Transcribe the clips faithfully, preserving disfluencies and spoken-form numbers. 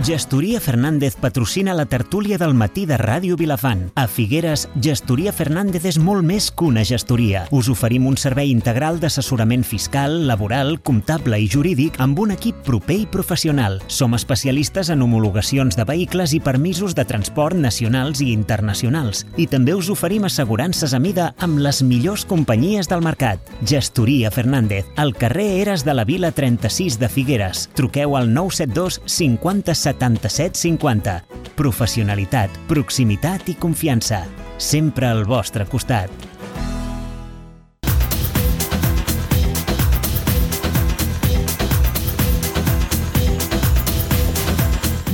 Gestoria Fernández patrocina la tertúlia del matí de Ràdio Vilafant. A Figueres, Gestoria Fernández és molt més que una gestoria. Us oferim un servei integral d'assessorament fiscal, laboral, comptable i jurídic amb un equip proper i professional. Som especialistes en homologacions de vehicles i permisos de transport nacionals i internacionals. I també us oferim assegurances a mida amb les millors companyies del mercat. Gestoria Fernández, al carrer Eres de la Vila trenta-sis de Figueres. Truqueu al nou set dos cinquanta setanta-set cinquanta. Professionalitat, proximitat i confiança. Sempre al vostre costat.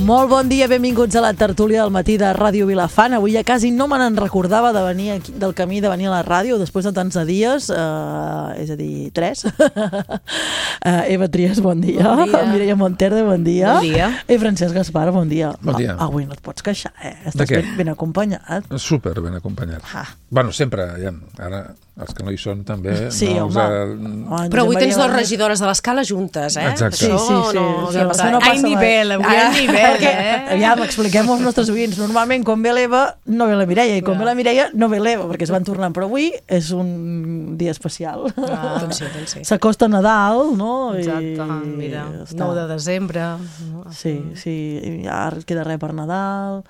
Molt bon dia, benvinguts a la tertúlia del matí de Ràdio Vilafant. Avui ja quasi no me n'en recordava de venir aquí, del camí de venir a la ràdio després de tants de dies, eh, és a dir, tres. uh, Eva Trias, bon dia. Bon dia. Mireia Monterde, bon dia. Bon dia. I Francesc Gaspar, bon dia. Bon dia. Ah, avui no et pots queixar, eh? Estàs ben, ben acompanyat. Super ben acompanyat. Ah. Bueno, sempre, ja, ara els que no hi són també... Sí, no home. Els, eh... Però avui tens dues regidores de l'escala juntes, eh? Exacte. Sí, sí, sí. No, sí, no, això no ai, passa nivell, mai. avui hi ha nivell, Perquè, eh? aviam, expliquem als nostres oients. Normalment, quan ve l'Eva, no ve la Mireia, i quan ve la Mireia, no ve l'Eva, perquè es van tornant. Però avui és un dia especial. Ah, doncs sí, doncs sí. S'acosta Nadal, no? Exacte, mira, està. nou de desembre. Sí, sí, i ja queda res per Nadal.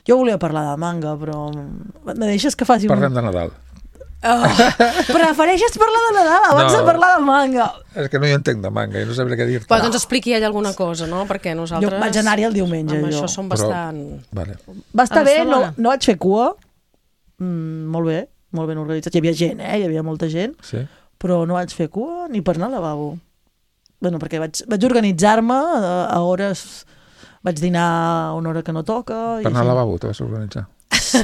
Jo volia parlar de manga, però... Me deixes que faci un... Parlem de Nadal. Oh, prefereixes parlar de Nadal abans No. de parlar de manga? És que no hi entenc de manga i no sabré què dir-te. Però doncs expliqui ella alguna cosa, no? Perquè nosaltres... Jo vaig anar-hi el diumenge, amb jo. això som Però- bastant... Vale. Va estar A bé, no, Barcelona? no vaig fer cua, mm, molt bé, molt ben organitzat. Hi havia gent, eh? Hi havia molta gent, Sí? però no vaig fer cua ni per anar al lavabo. Bueno, perquè vaig, vaig organitzar-me a, a hores... Vaig dinar a una hora que no toca... Per anar així. al lavabo te vas organitzar. Sí.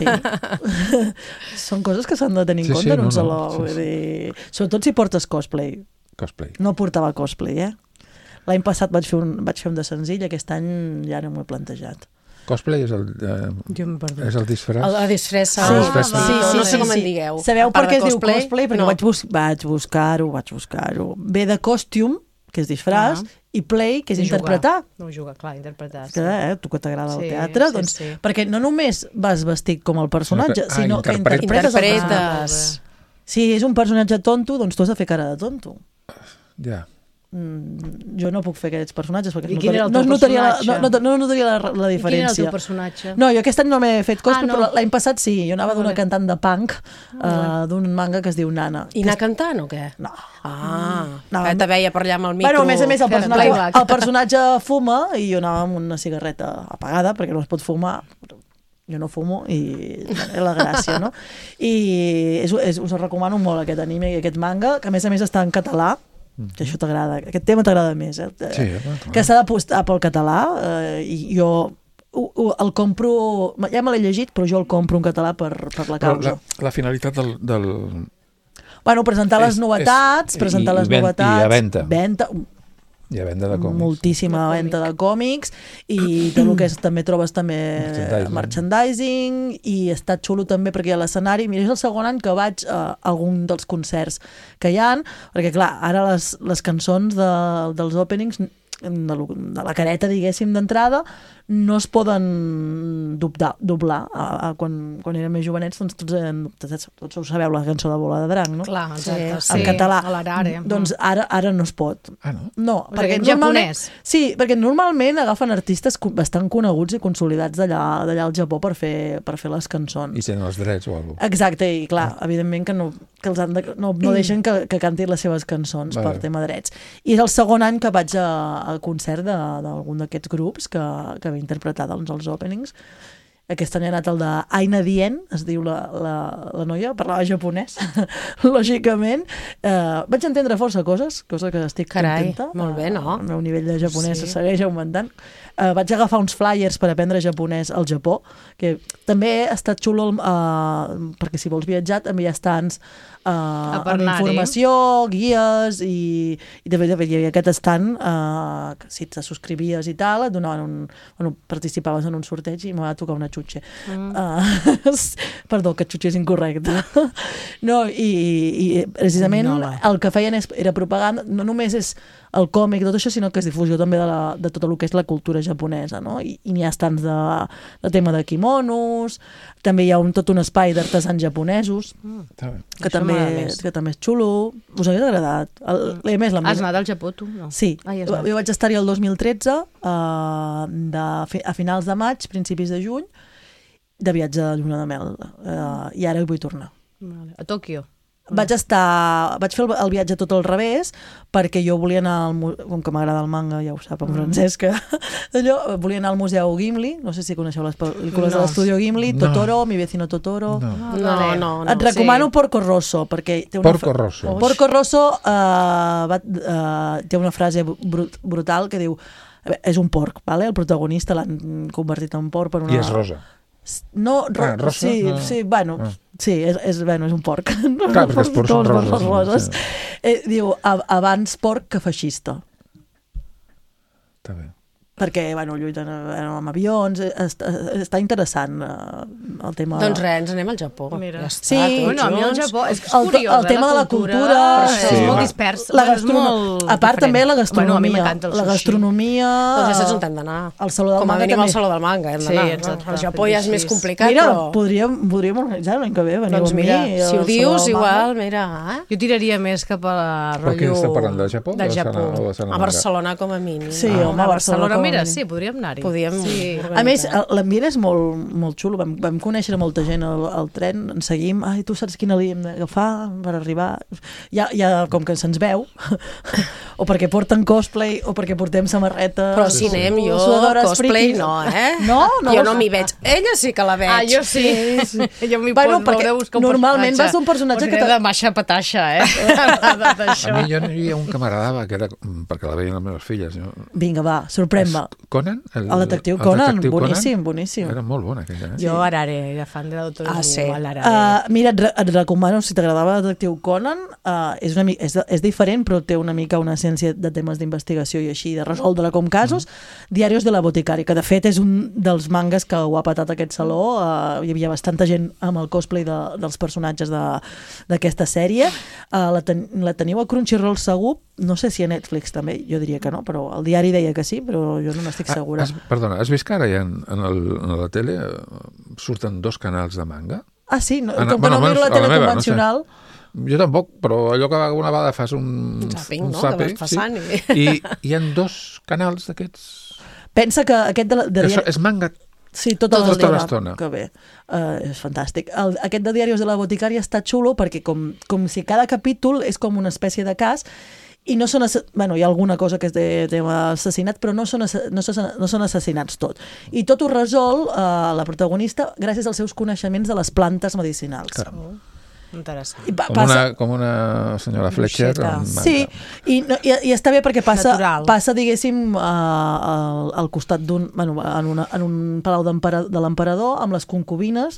Són coses que s'han de tenir en Sí, compte sí, en un no, no, saló. sí, vull sí. dir, sobretot si portes cosplay. Cosplay. No portava cosplay, eh? L'any passat vaig fer, un, vaig fer un de senzill, aquest any ja no m'ho he plantejat. Cosplay és el, eh, Jo m'he perdut. és el disfress. El, la disfressa. Sí, Ah, sí, va, sí, no sí, sé com sí. en digueu. Sabeu A part per què de es diu cosplay? Perquè no. vaig, bus vaig buscar-ho, vaig buscar-ho. Ve de costume, que és disfraç, Ah. i play, que és I jugar. interpretar. No jugar, clar, interpretar. Que, eh, tu que t'agrada Sí, el teatre, sí, doncs, sí. perquè no només vas vestit com el personatge, Ah, sinó que interpretes. interpretes, el personatge. Interpretes. Si és un personatge tonto, doncs tu has de fer cara de tonto. Ja. Mm, jo no puc fer aquests personatges perquè I no quin era el no, es teu notaria la, personatge? no, no, no notaria la, la I quin era el diferència. teu personatge? No, jo aquest any no m'he fet cosplay, Ah, no. però l'any passat sí. Jo anava Ah, d'una vale. cantant de punk, Ah, uh, d'un manga que es diu Nana. I anar cantant o què? No. Ah, No, no, que te veia per allà amb el micro. Bueno, a més a més, el fent personatge, playback. el personatge fuma i jo anava amb una cigarreta apagada, perquè no es pot fumar. Jo no fumo i és la gràcia, no? I és, és, us recomano molt aquest anime i aquest manga, que a més a més està en català, que això t'agrada, aquest tema t'agrada més, eh? Sí, home, clar. Que s'ha d'apostar pel català, eh, i jo ho, ho, el compro, ja me l'he llegit, però jo el compro en català per, per la Però causa. la, la finalitat del... del... Bueno, presentar les És- novetats, és- presentar i- les i ven- novetats. i a venda. Venda, Hi ha venda de còmics. moltíssima De venda de còmics i tot el que és, també trobes també Merchandising. merchandising i està xulo també perquè hi ha l'escenari. Mira, és el segon any que vaig a algun dels concerts que hi han, perquè clar, ara les, les cançons de, dels openings de, lo- de la careta, diguéssim, d'entrada, no es poden doblar, doblar. A, a, quan, quan érem més jovenets, doncs tots, hem, tots, tots ho sabeu, la cançó de Bola de Drac, no? Clar, exacte. Sí, En català. a l'Arare. Doncs ara, ara no es pot. Ah, no? No, Perquè perquè en normalment... japonès. Sí, perquè normalment agafen artistes co- bastant coneguts i consolidats d'allà d'allà al Japó per fer, per fer les cançons. I tenen els drets o alguna cosa. Exacte, i clar, evidentment que, no, que els han de, no, no deixen que, que cantin les seves cançons Vale. per tema drets. I és el segon any que vaig a, al concert de- d'algun d'aquests grups que, que va interpretar doncs, els openings. Aquest any ha anat el de Aina Dien, es diu la, la, la noia, parlava japonès, lògicament. Eh, vaig entendre força coses, cosa que estic Carai, contenta. molt bé, no? El meu nivell de japonès Sí. segueix augmentant. Eh, vaig agafar uns flyers per aprendre japonès al Japó, que també ha estat xulo, eh, perquè si vols viatjar també hi ha estants eh, amb per anar-hi. informació, guies, i, i també hi havia aquest estant eh, que si te subscrivies i tal, et donaven un... Bueno, participaves en un sorteig i m'ha de tocar una catxutxe. Mm. Uh, perdó, catxutxe és incorrecte. No, i, i precisament no, el que feien és, era propaganda, no només és el còmic i tot això, sinó que és difusió també de, la, de tot el que és la cultura japonesa, no? I, i n'hi ha estants de, de tema de kimonos, també hi ha un, tot un espai d'artesans japonesos, mm. que, també, que també és xulo. Us hauria agradat. El, el, més, has anat al Japó, tu? No. Sí, ah, jo vaig estar-hi el dos mil tretze, uh, de, a finals de maig, principis de juny, de viatge de lluna de mel, uh, i ara hi vull tornar. Vale. A Tòquio? Vaig estar, vaig fer el, el viatge tot al revés, perquè jo volia anar al, com que m'agrada el manga, ja ho sap en Francesc, allò, volia anar al Museu Gimli, no sé si coneixeu les pel·lícules no. de l'Estudio Gimli, no. Totoro, Mi vecino Totoro. No, no, no. no Et recomano sí. Porco Rosso, perquè té una Porco Rosso. Porco Rosso uh, va, uh, té una frase brut, brutal que diu, és un porc, vale? El protagonista l'han convertit en porc per una... I és rosa. No, ro ah, rosa? sí, no. sí, bueno, ah. sí, és, és, bueno, és un porc. Clar, perquè els porcs són roses. roses. Sí. Eh, diu, abans porc que feixista. Està bé. Perquè, bueno, lluiten amb avions, està, està interessant uh, el tema... Doncs res, ens anem al Japó. Mira. Ja està, sí, bueno, a mi el Japó és, és el, curiós, el tema eh, de la cultura, cultura sí, és sí, molt dispers, la gastronom... molt a part diferent. també la gastronomia, bueno, la gastronomia... Doncs ja saps on hem d'anar. Al Saló del Com a Manga mínim també. al Saló del Manga hem d'anar. Sí, exacte. El Japó ja és més complicat, mira, però... podríem, podríem organitzar l'any que ve, veniu doncs mira, amb mi. si ho dius, igual, mira... Eh? Jo tiraria més cap a la rotllo... Per què estem parlant, del Japó? Del Japó. A Barcelona, com a mínim. Sí, home, a Barcelona. Mira, sí, podríem anar-hi. Podríem... A més, l'ambient és molt, molt xulo. Vam, vam conèixer molta gent al, al tren, ens seguim. Ai, tu saps quina línia hem d'agafar per arribar? Ja, ja com que se'ns veu, o perquè porten cosplay, o perquè portem samarreta... Però si anem, jo cosplay no, eh? No? no jo no m'hi veig. Ella sí que la veig. Ah, jo sí. sí. Jo m'hi bueno, pot veure buscar un normalment vas un personatge que... de maixa patatxa, eh? A mi jo hi ha un que m'agradava, que era perquè la veien les meves filles. Jo... Vinga, va, sorprèn-me. Conan? El, el detectiu Conan, el boníssim, Conan? boníssim. Era molt bona aquella. Eh? Jo Arare, era fan de l'autor ah, sí. uh, Mira, et, re et recomano, si t'agradava el detectiu Conan, uh, és, una, és, és diferent, però té una mica una essència de temes d'investigació i així, de resoldre com casos. Mm. Diarios de la boticària, que de fet és un dels mangas que ho ha patat aquest saló. Uh, hi havia bastanta gent amb el cosplay de, dels personatges d'aquesta sèrie. Uh, la, ten la teniu a Crunchyroll segur, no sé si a Netflix també, jo diria que no, però el diari deia que sí, però jo no n'estic segura. Has, perdona, has vist que ara ja en, en, el, en la tele surten dos canals de manga? Ah, sí? No, en, com bueno, que no miro la tele meva, convencional... No sé. Jo tampoc, però allò que una vegada fas un... Un zapping, un no? zapping, que vas passant. Sí. I... I hi ha dos canals d'aquests... Pensa que aquest de... de que és manga... Sí, tota tota l'estona. Que bé, uh, és fantàstic. El, aquest de Diarios de la boticària està xulo perquè com, com si cada capítol és com una espècie de cas i no són... Bueno, hi ha alguna cosa que és de tema assassinat, però no són, no són, no són assassinats tot. I tot ho resol uh, la protagonista gràcies als seus coneixements de les plantes medicinals. Caram. Interessant. I pa, com, passa... una, com una senyora Fletcher. Sí, i, no, i, i està bé perquè passa, Natural. passa diguéssim, uh, al, al costat d'un... Bueno, en, una, en un palau de l'emperador, amb les concubines,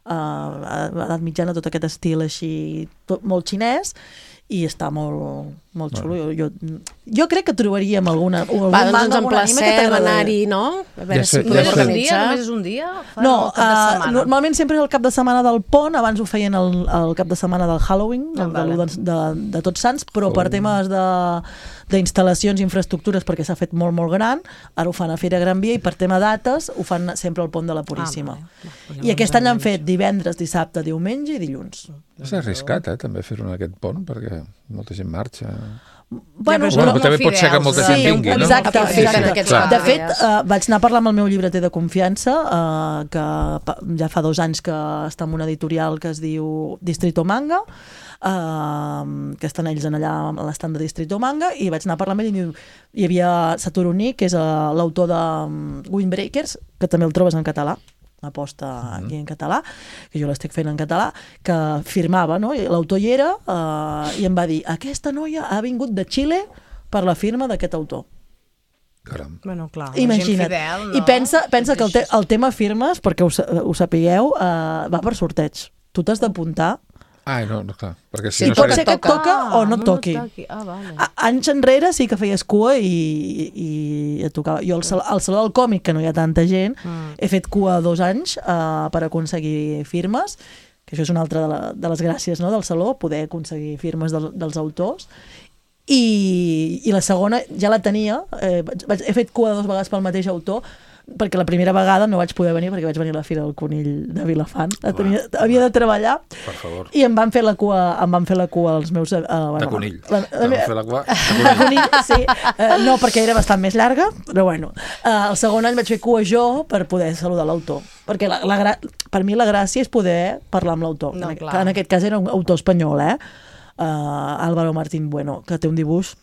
uh, a l'edat mitjana, tot aquest estil així, tot, molt xinès, i està molt, molt xulo. Jo, jo, jo crec que trobaríem alguna... Va, doncs ens emplacem a anar-hi, no? A veure ja si sé, podem ja organitzar. Només és un dia? Fan No, el cap de uh, setmana. normalment sempre és el cap de setmana del pont, abans ho feien el, el cap de setmana del Halloween, Ah, el, vale. de, de, de Tots Sants, però Oh. per temes d'instal·lacions i infraestructures, perquè s'ha fet molt, molt gran, ara ho fan a Fira Gran Via, i per tema dates ho fan sempre al pont de la Puríssima. Ah, vale. Va, I aquest any l'han fet divendres, dissabte, diumenge i dilluns. És arriscat, eh, també fer-ho en aquest pont, perquè molta gent marxa. Bueno, però Bueno, són també pot ser que fidels, molta sí, gent vingui, no? exacte, Aprofiten exacte. aquests Clar. De fet, dies. uh, vaig anar a parlar amb el meu llibreter de confiança, uh, que pa- ja fa dos anys que està en una editorial que es diu Distrito Manga, uh, que estan ells en allà a l'estand de Distrito Manga, i vaig anar a parlar amb ell i diu, hi havia Satoru Nii, que és uh, l'autor de um, Windbreakers, que també el trobes en català, aposta aquí en català, que jo l'estic fent en català, que firmava, no? I l'autor hi era, uh, i em va dir, aquesta noia ha vingut de Xile per la firma d'aquest autor. Caram. Bueno, clar, la Imagina't. gent fidel, no? I pensa, pensa que el, te, el tema firmes, perquè ho, sa- ho sapigueu, uh, va per sorteig. Tu t'has d'apuntar Ah, no, no, clar, perquè si Sí, no pot seria... ser que et toca o no et toqui. Ah, vale. A- Anys enrere sí que feies cua i, i et tocava. Jo al, sal, al Saló del Còmic, que no hi ha tanta gent, mm. he fet cua dos anys uh, per aconseguir firmes, que això és una altra de, la, de les gràcies, no?, del Saló, poder aconseguir firmes del, dels autors. I, i la segona ja la tenia, eh, vaig, he fet cua dues vegades pel mateix autor, perquè la primera vegada no vaig poder venir perquè vaig venir a la Fira del Conill de Vilafant, tenia, havia de treballar, Per favor. i em van fer la cua, em van fer la cua els meus... Uh, bueno, De conill. La, Te van fer la cua de de conill. conill, sí. Uh, no, perquè era bastant més llarga, però bueno. Uh, el segon any vaig fer cua jo per poder saludar l'autor. Perquè la, la, gra- per mi la gràcia és poder parlar amb l'autor. No, en, clar. en aquest cas era un autor espanyol, eh? Uh, Álvaro Martín Bueno, que té un dibuix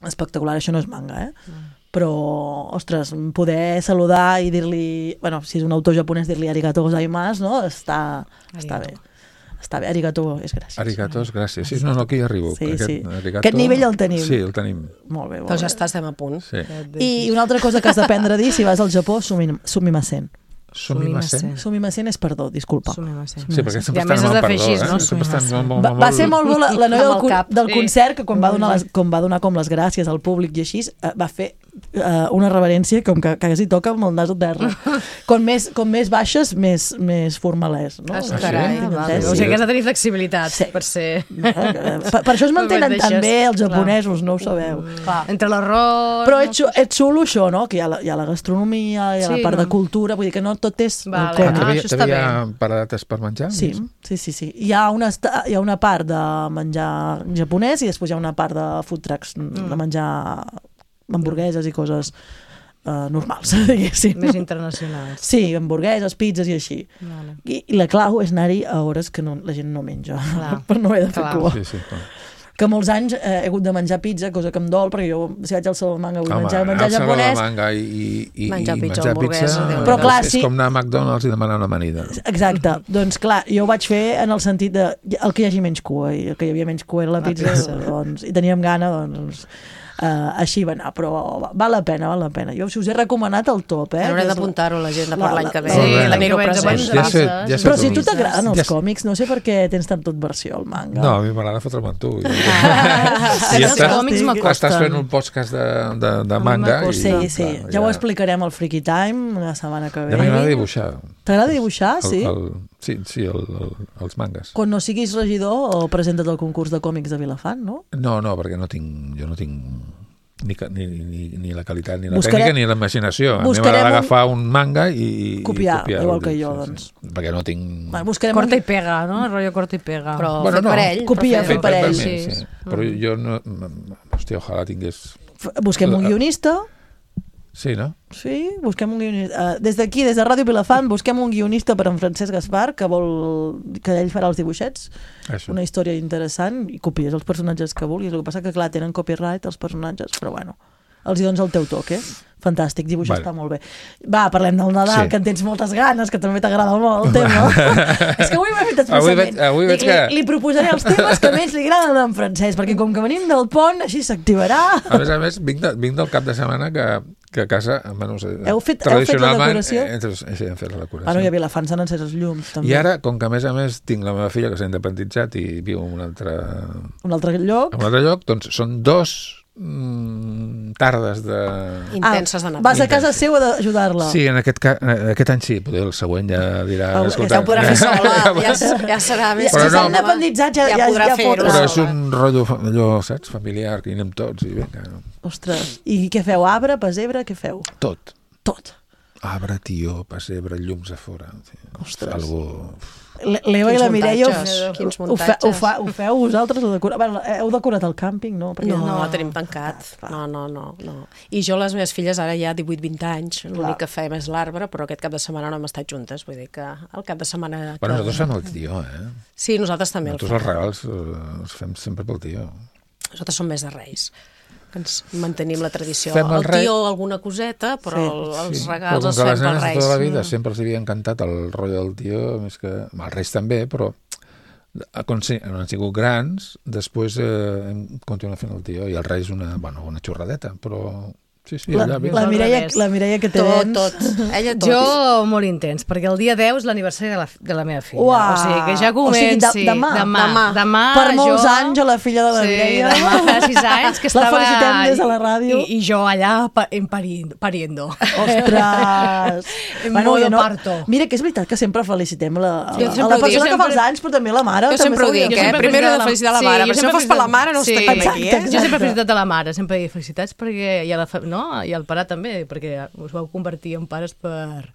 espectacular. Això no és manga, eh? Mm. Però, ostres, poder saludar i dir-li... Bueno, si és un autor japonès, dir-li arigato gozaimasu, no? Està, està bé. Està bé, arigato és gràcies. Arigatos, gràcies. Sí, no, no, aquí hi arribo. Sí, Aquest, sí. arigato... Aquest nivell el tenim. Sí, el tenim. Molt bé, molt Doncs ja bé. està, estem a punt. Sí. I una altra cosa que has d'aprendre a dir si vas al Japó, sumi- sumimasen. Sumimasen. Sumimasen és perdó, disculpa. Sumimasen. Sí, perquè sempre I a més estan has amb de el fer perdó, així, eh? no? Sempre estan Sumimasen. molt, Va, molt, va ser molt bo la, la noia Amb del, el con- cap, del sí. concert, que quan va, donar les, quan va donar com les gràcies al públic i així, eh, va fer eh, una reverència com que, que quasi toca amb el nas a terra. Com més, com més baixes, més, més formalès. No? Ah, Sí, carai, tinc vale. entès, O sí. sigui que has de tenir flexibilitat Sí. per ser... Eh, Per, per això es mantenen Deixes, tan bé els clar. japonesos, no ho sabeu. Clar, entre l'error... Però és, xu- és xulo això, no? Que hi ha la, hi ha la gastronomia, hi ha Sí, la part no? de cultura, vull dir que no tot és el Vale. Ah, còmic. Ah, t'havia això està t'havia paradetes per menjar? Sí, sí, sí, sí. Hi ha, una, esta- hi ha una part de menjar japonès i després hi ha una part de food trucks, mm. de menjar hamburgueses i coses uh, normals, diguéssim. Més internacionals. Sí, hamburgueses, pizzas i així. Vale. I, i la clau és anar-hi a hores que no, la gent no menja, Clar. per no haver de fer Clar. cua. Sí, sí. clar. Que molts anys eh, he hagut de menjar pizza, cosa que em dol, perquè jo, si vaig al Saló del Manga, vull Home, menjar, menjar anar al Saló de japonès. Manga i, i, i Menjar i pizza o menjar hamburguesa, pizza Déu-n'hi-do. Però clar, és, sí. és com anar a McDonald's i demanar una amanida. Exacte. Doncs clar, jo ho vaig fer en el sentit de el que hi hagi menys cua, i el que hi havia menys cua era la La pizza, pizza. doncs, i teníem gana, doncs, uh, així va anar, però val la pena, val la pena. Jo si us he recomanat el top, eh? Haurem que és d'apuntar-ho la gent per la- l'any la- que ve. Sí, Molt bé. la l'any que ve ens present. abans Ja sé, de ja sé Però si a tu tu. t'agraden els Ja- còmics, no sé per què tens tant versió al manga. No, a mi m'agrada fotre'm amb tu. I, Sí, I els estàs, còmics m'acosten. estàs fent un podcast de, de, de manga. I, Sí, sí, clar, ja ho explicarem al Freaky Time la setmana que Ja ve. m'agrada dibuixar. T'agrada dibuixar, El, sí? el, sí, sí, el, el, els mangas. Quan no siguis regidor o presenta't al concurs de còmics de Vilafant, no? No, no, perquè no tinc, jo no tinc ni, ca- ni, ni, ni la qualitat, ni la Buscarem- tècnica, ni la imaginació. A mi buscarem m'agrada un- agafar un manga i, i Copiar, copiar igual el que dibuix, jo, sí, doncs. sí. Perquè no tinc... Va, buscarem Corta un... i pega, no? El rotllo corta i pega. Però Bueno, fet no. per ell. Copia, però fet fer-ho. per ell. sí. Sí. sí. Però jo no... Hòstia, ojalà tingués... F- Busquem un guionista. Sí, no? Sí, busquem un guionista. Uh, des d'aquí, des de Ràdio Vilafant, busquem un guionista per en Francesc Gaspar, que vol que ell farà els dibuixets. Això. Una història interessant i copies els personatges que vulguis. El que passa que, clar, tenen copyright els personatges, però bueno, els hi dones el teu toque. Fantàstic, dibuixar Vale. està molt bé. Va, parlem del Nadal, Sí. que en tens moltes ganes, que també t'agrada molt el tema. És que avui m'he fet expressament. Avui veig- avui veig Dic, que- li, li proposaré els temes que més li agraden en Francesc, perquè com que venim del pont, així s'activarà. A més a més, vinc, de, vinc del cap de setmana que, que a casa, bueno, Heu fet- heu fet la tradicionalment, decoració? eh, eh, sí, hem fet la decoració. Bueno, i a Vilafant s'han encès els llums, també. I ara, com que a més a més tinc la meva filla que s'ha independitzat i viu en un altre, Un altre lloc. en un altre lloc, doncs són dos mm, tardes de... Intenses de Nadal. Vas a casa seva d'ajudar-la. Sí, en aquest, ca... eh, aquest any sí, potser el següent ja dirà... Ah, escolta, ja ho Podrà fer sola, ja ja, ja serà més... Ja, Però si s'ha no. independitzat ja, Ja ja, podrà ja fer-ho fotrà. Però sola. és un rotllo, fa- allò, saps, familiar, que hi anem tots i vinga, Ostres, i què feu? Arbre, pessebre, què feu? tot. Tot. Arbre, tió, pessebre, llums a fora. Ostres. Algo... Le- L'Eva i Quins la Mireia ho, muntatges, quins ho, fe, ho, muntatges. fa, ho feu vosaltres? Ho decora... bueno, heu decorat el càmping, no? Perquè No, no, tenim tancat. clar. No, no, no, no. I jo, les meves filles, ara ja divuit vint anys, Clar. l'únic que fem és l'arbre, però aquest cap de setmana no hem estat juntes, vull dir que el cap de setmana... Que... Bueno, nosaltres fem el tió, eh? Sí, nosaltres també el Nosaltres els fem. regals eh, els fem sempre pel tió. Nosaltres som més de Reis, que ens mantenim la tradició. Fem el el rei- tió, alguna coseta, però Sí, el, els Sí, regals però els com que fem les per nenes de Reis. tota la vida sempre els havia encantat el rotllo del tió, més que... Els reis també, però quan sí, han sigut grans, després eh, hem continuat fent el tió, i el rei és una, bueno, una xorradeta, però Sí, sí, La, allà bé. la, Mireia, la Mireia que té Tot, dents. tot. Ella tot. Jo molt intens, perquè el dia deu és l'aniversari de, la, de la meva filla. Uah. O sigui, que ja O sigui, comenci. de- demà. Demà. Demà. demà Per molts jo... anys a la filla de la sí, Mireia. demà fa sis anys que La estava... felicitem des de la ràdio. I, i jo allà pa, en pariendo. pariendo. Ostres! En bueno, modo jo no... parto. Mira, que és veritat que sempre felicitem la, Jo a sempre la ho dic, persona jo que fa els sempre- anys, però també la mare. Jo també sempre ho s'hauria dic, de eh? fer. Primer he de felicitar felicitar la sí, mare, jo perquè si no sempre fos per la felicitar- mare no sí. estaríem aquí, eh? Exacte. Jo sempre he felicitat a la mare, sempre he dit felicitats perquè, i, a la, fa- no? I al pare també, perquè us vau convertir en pares per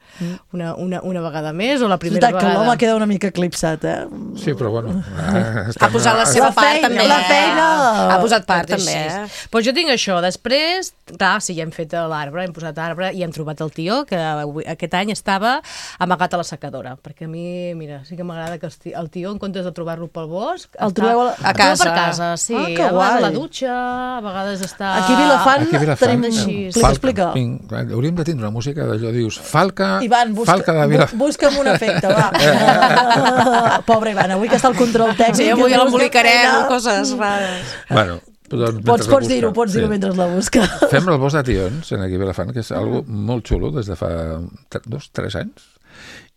una, una, una vegada més o la És primera veritat que vegada. l'home queda una mica eclipsat, eh? Sí, però bueno... Ah, Ha posat la seva La part feina, també. la eh? feina. Ha posat part Tot també, així. eh? Doncs jo tinc això. Després, clar, sí, ja hem fet l'arbre, hem posat arbre i hem trobat el tió, que avui- aquest any estava amagat a la secadora. Perquè a mi, mira, sí que m'agrada que el ti- el tió, en comptes de trobar-lo pel bosc... El està- trobeu a la- a el trobo casa. per casa, sí. Ah, que a vegades a la guai. dutxa, a vegades està... Aquí a Vilafant, Aquí a Vilafant, tenim... així. Explica, explica. Vinc, hauríem de tindre una música d'allò, dius, Falca, Ivan, busca, Falca de Vilafant. bu busca'm un efecte, va. Pobre Ivan, avui que està al control tècnic... Sí, avui que busca l'embolicarem, feina. coses rares. Bueno, doncs, mentre Pots, la pots dir-ho, busca. pots dir-ho Sí. mentre la busca. Fem el bosc de tions en aquí a Vilafant, que és algo molt xulo des de fa tre- dos, tres anys.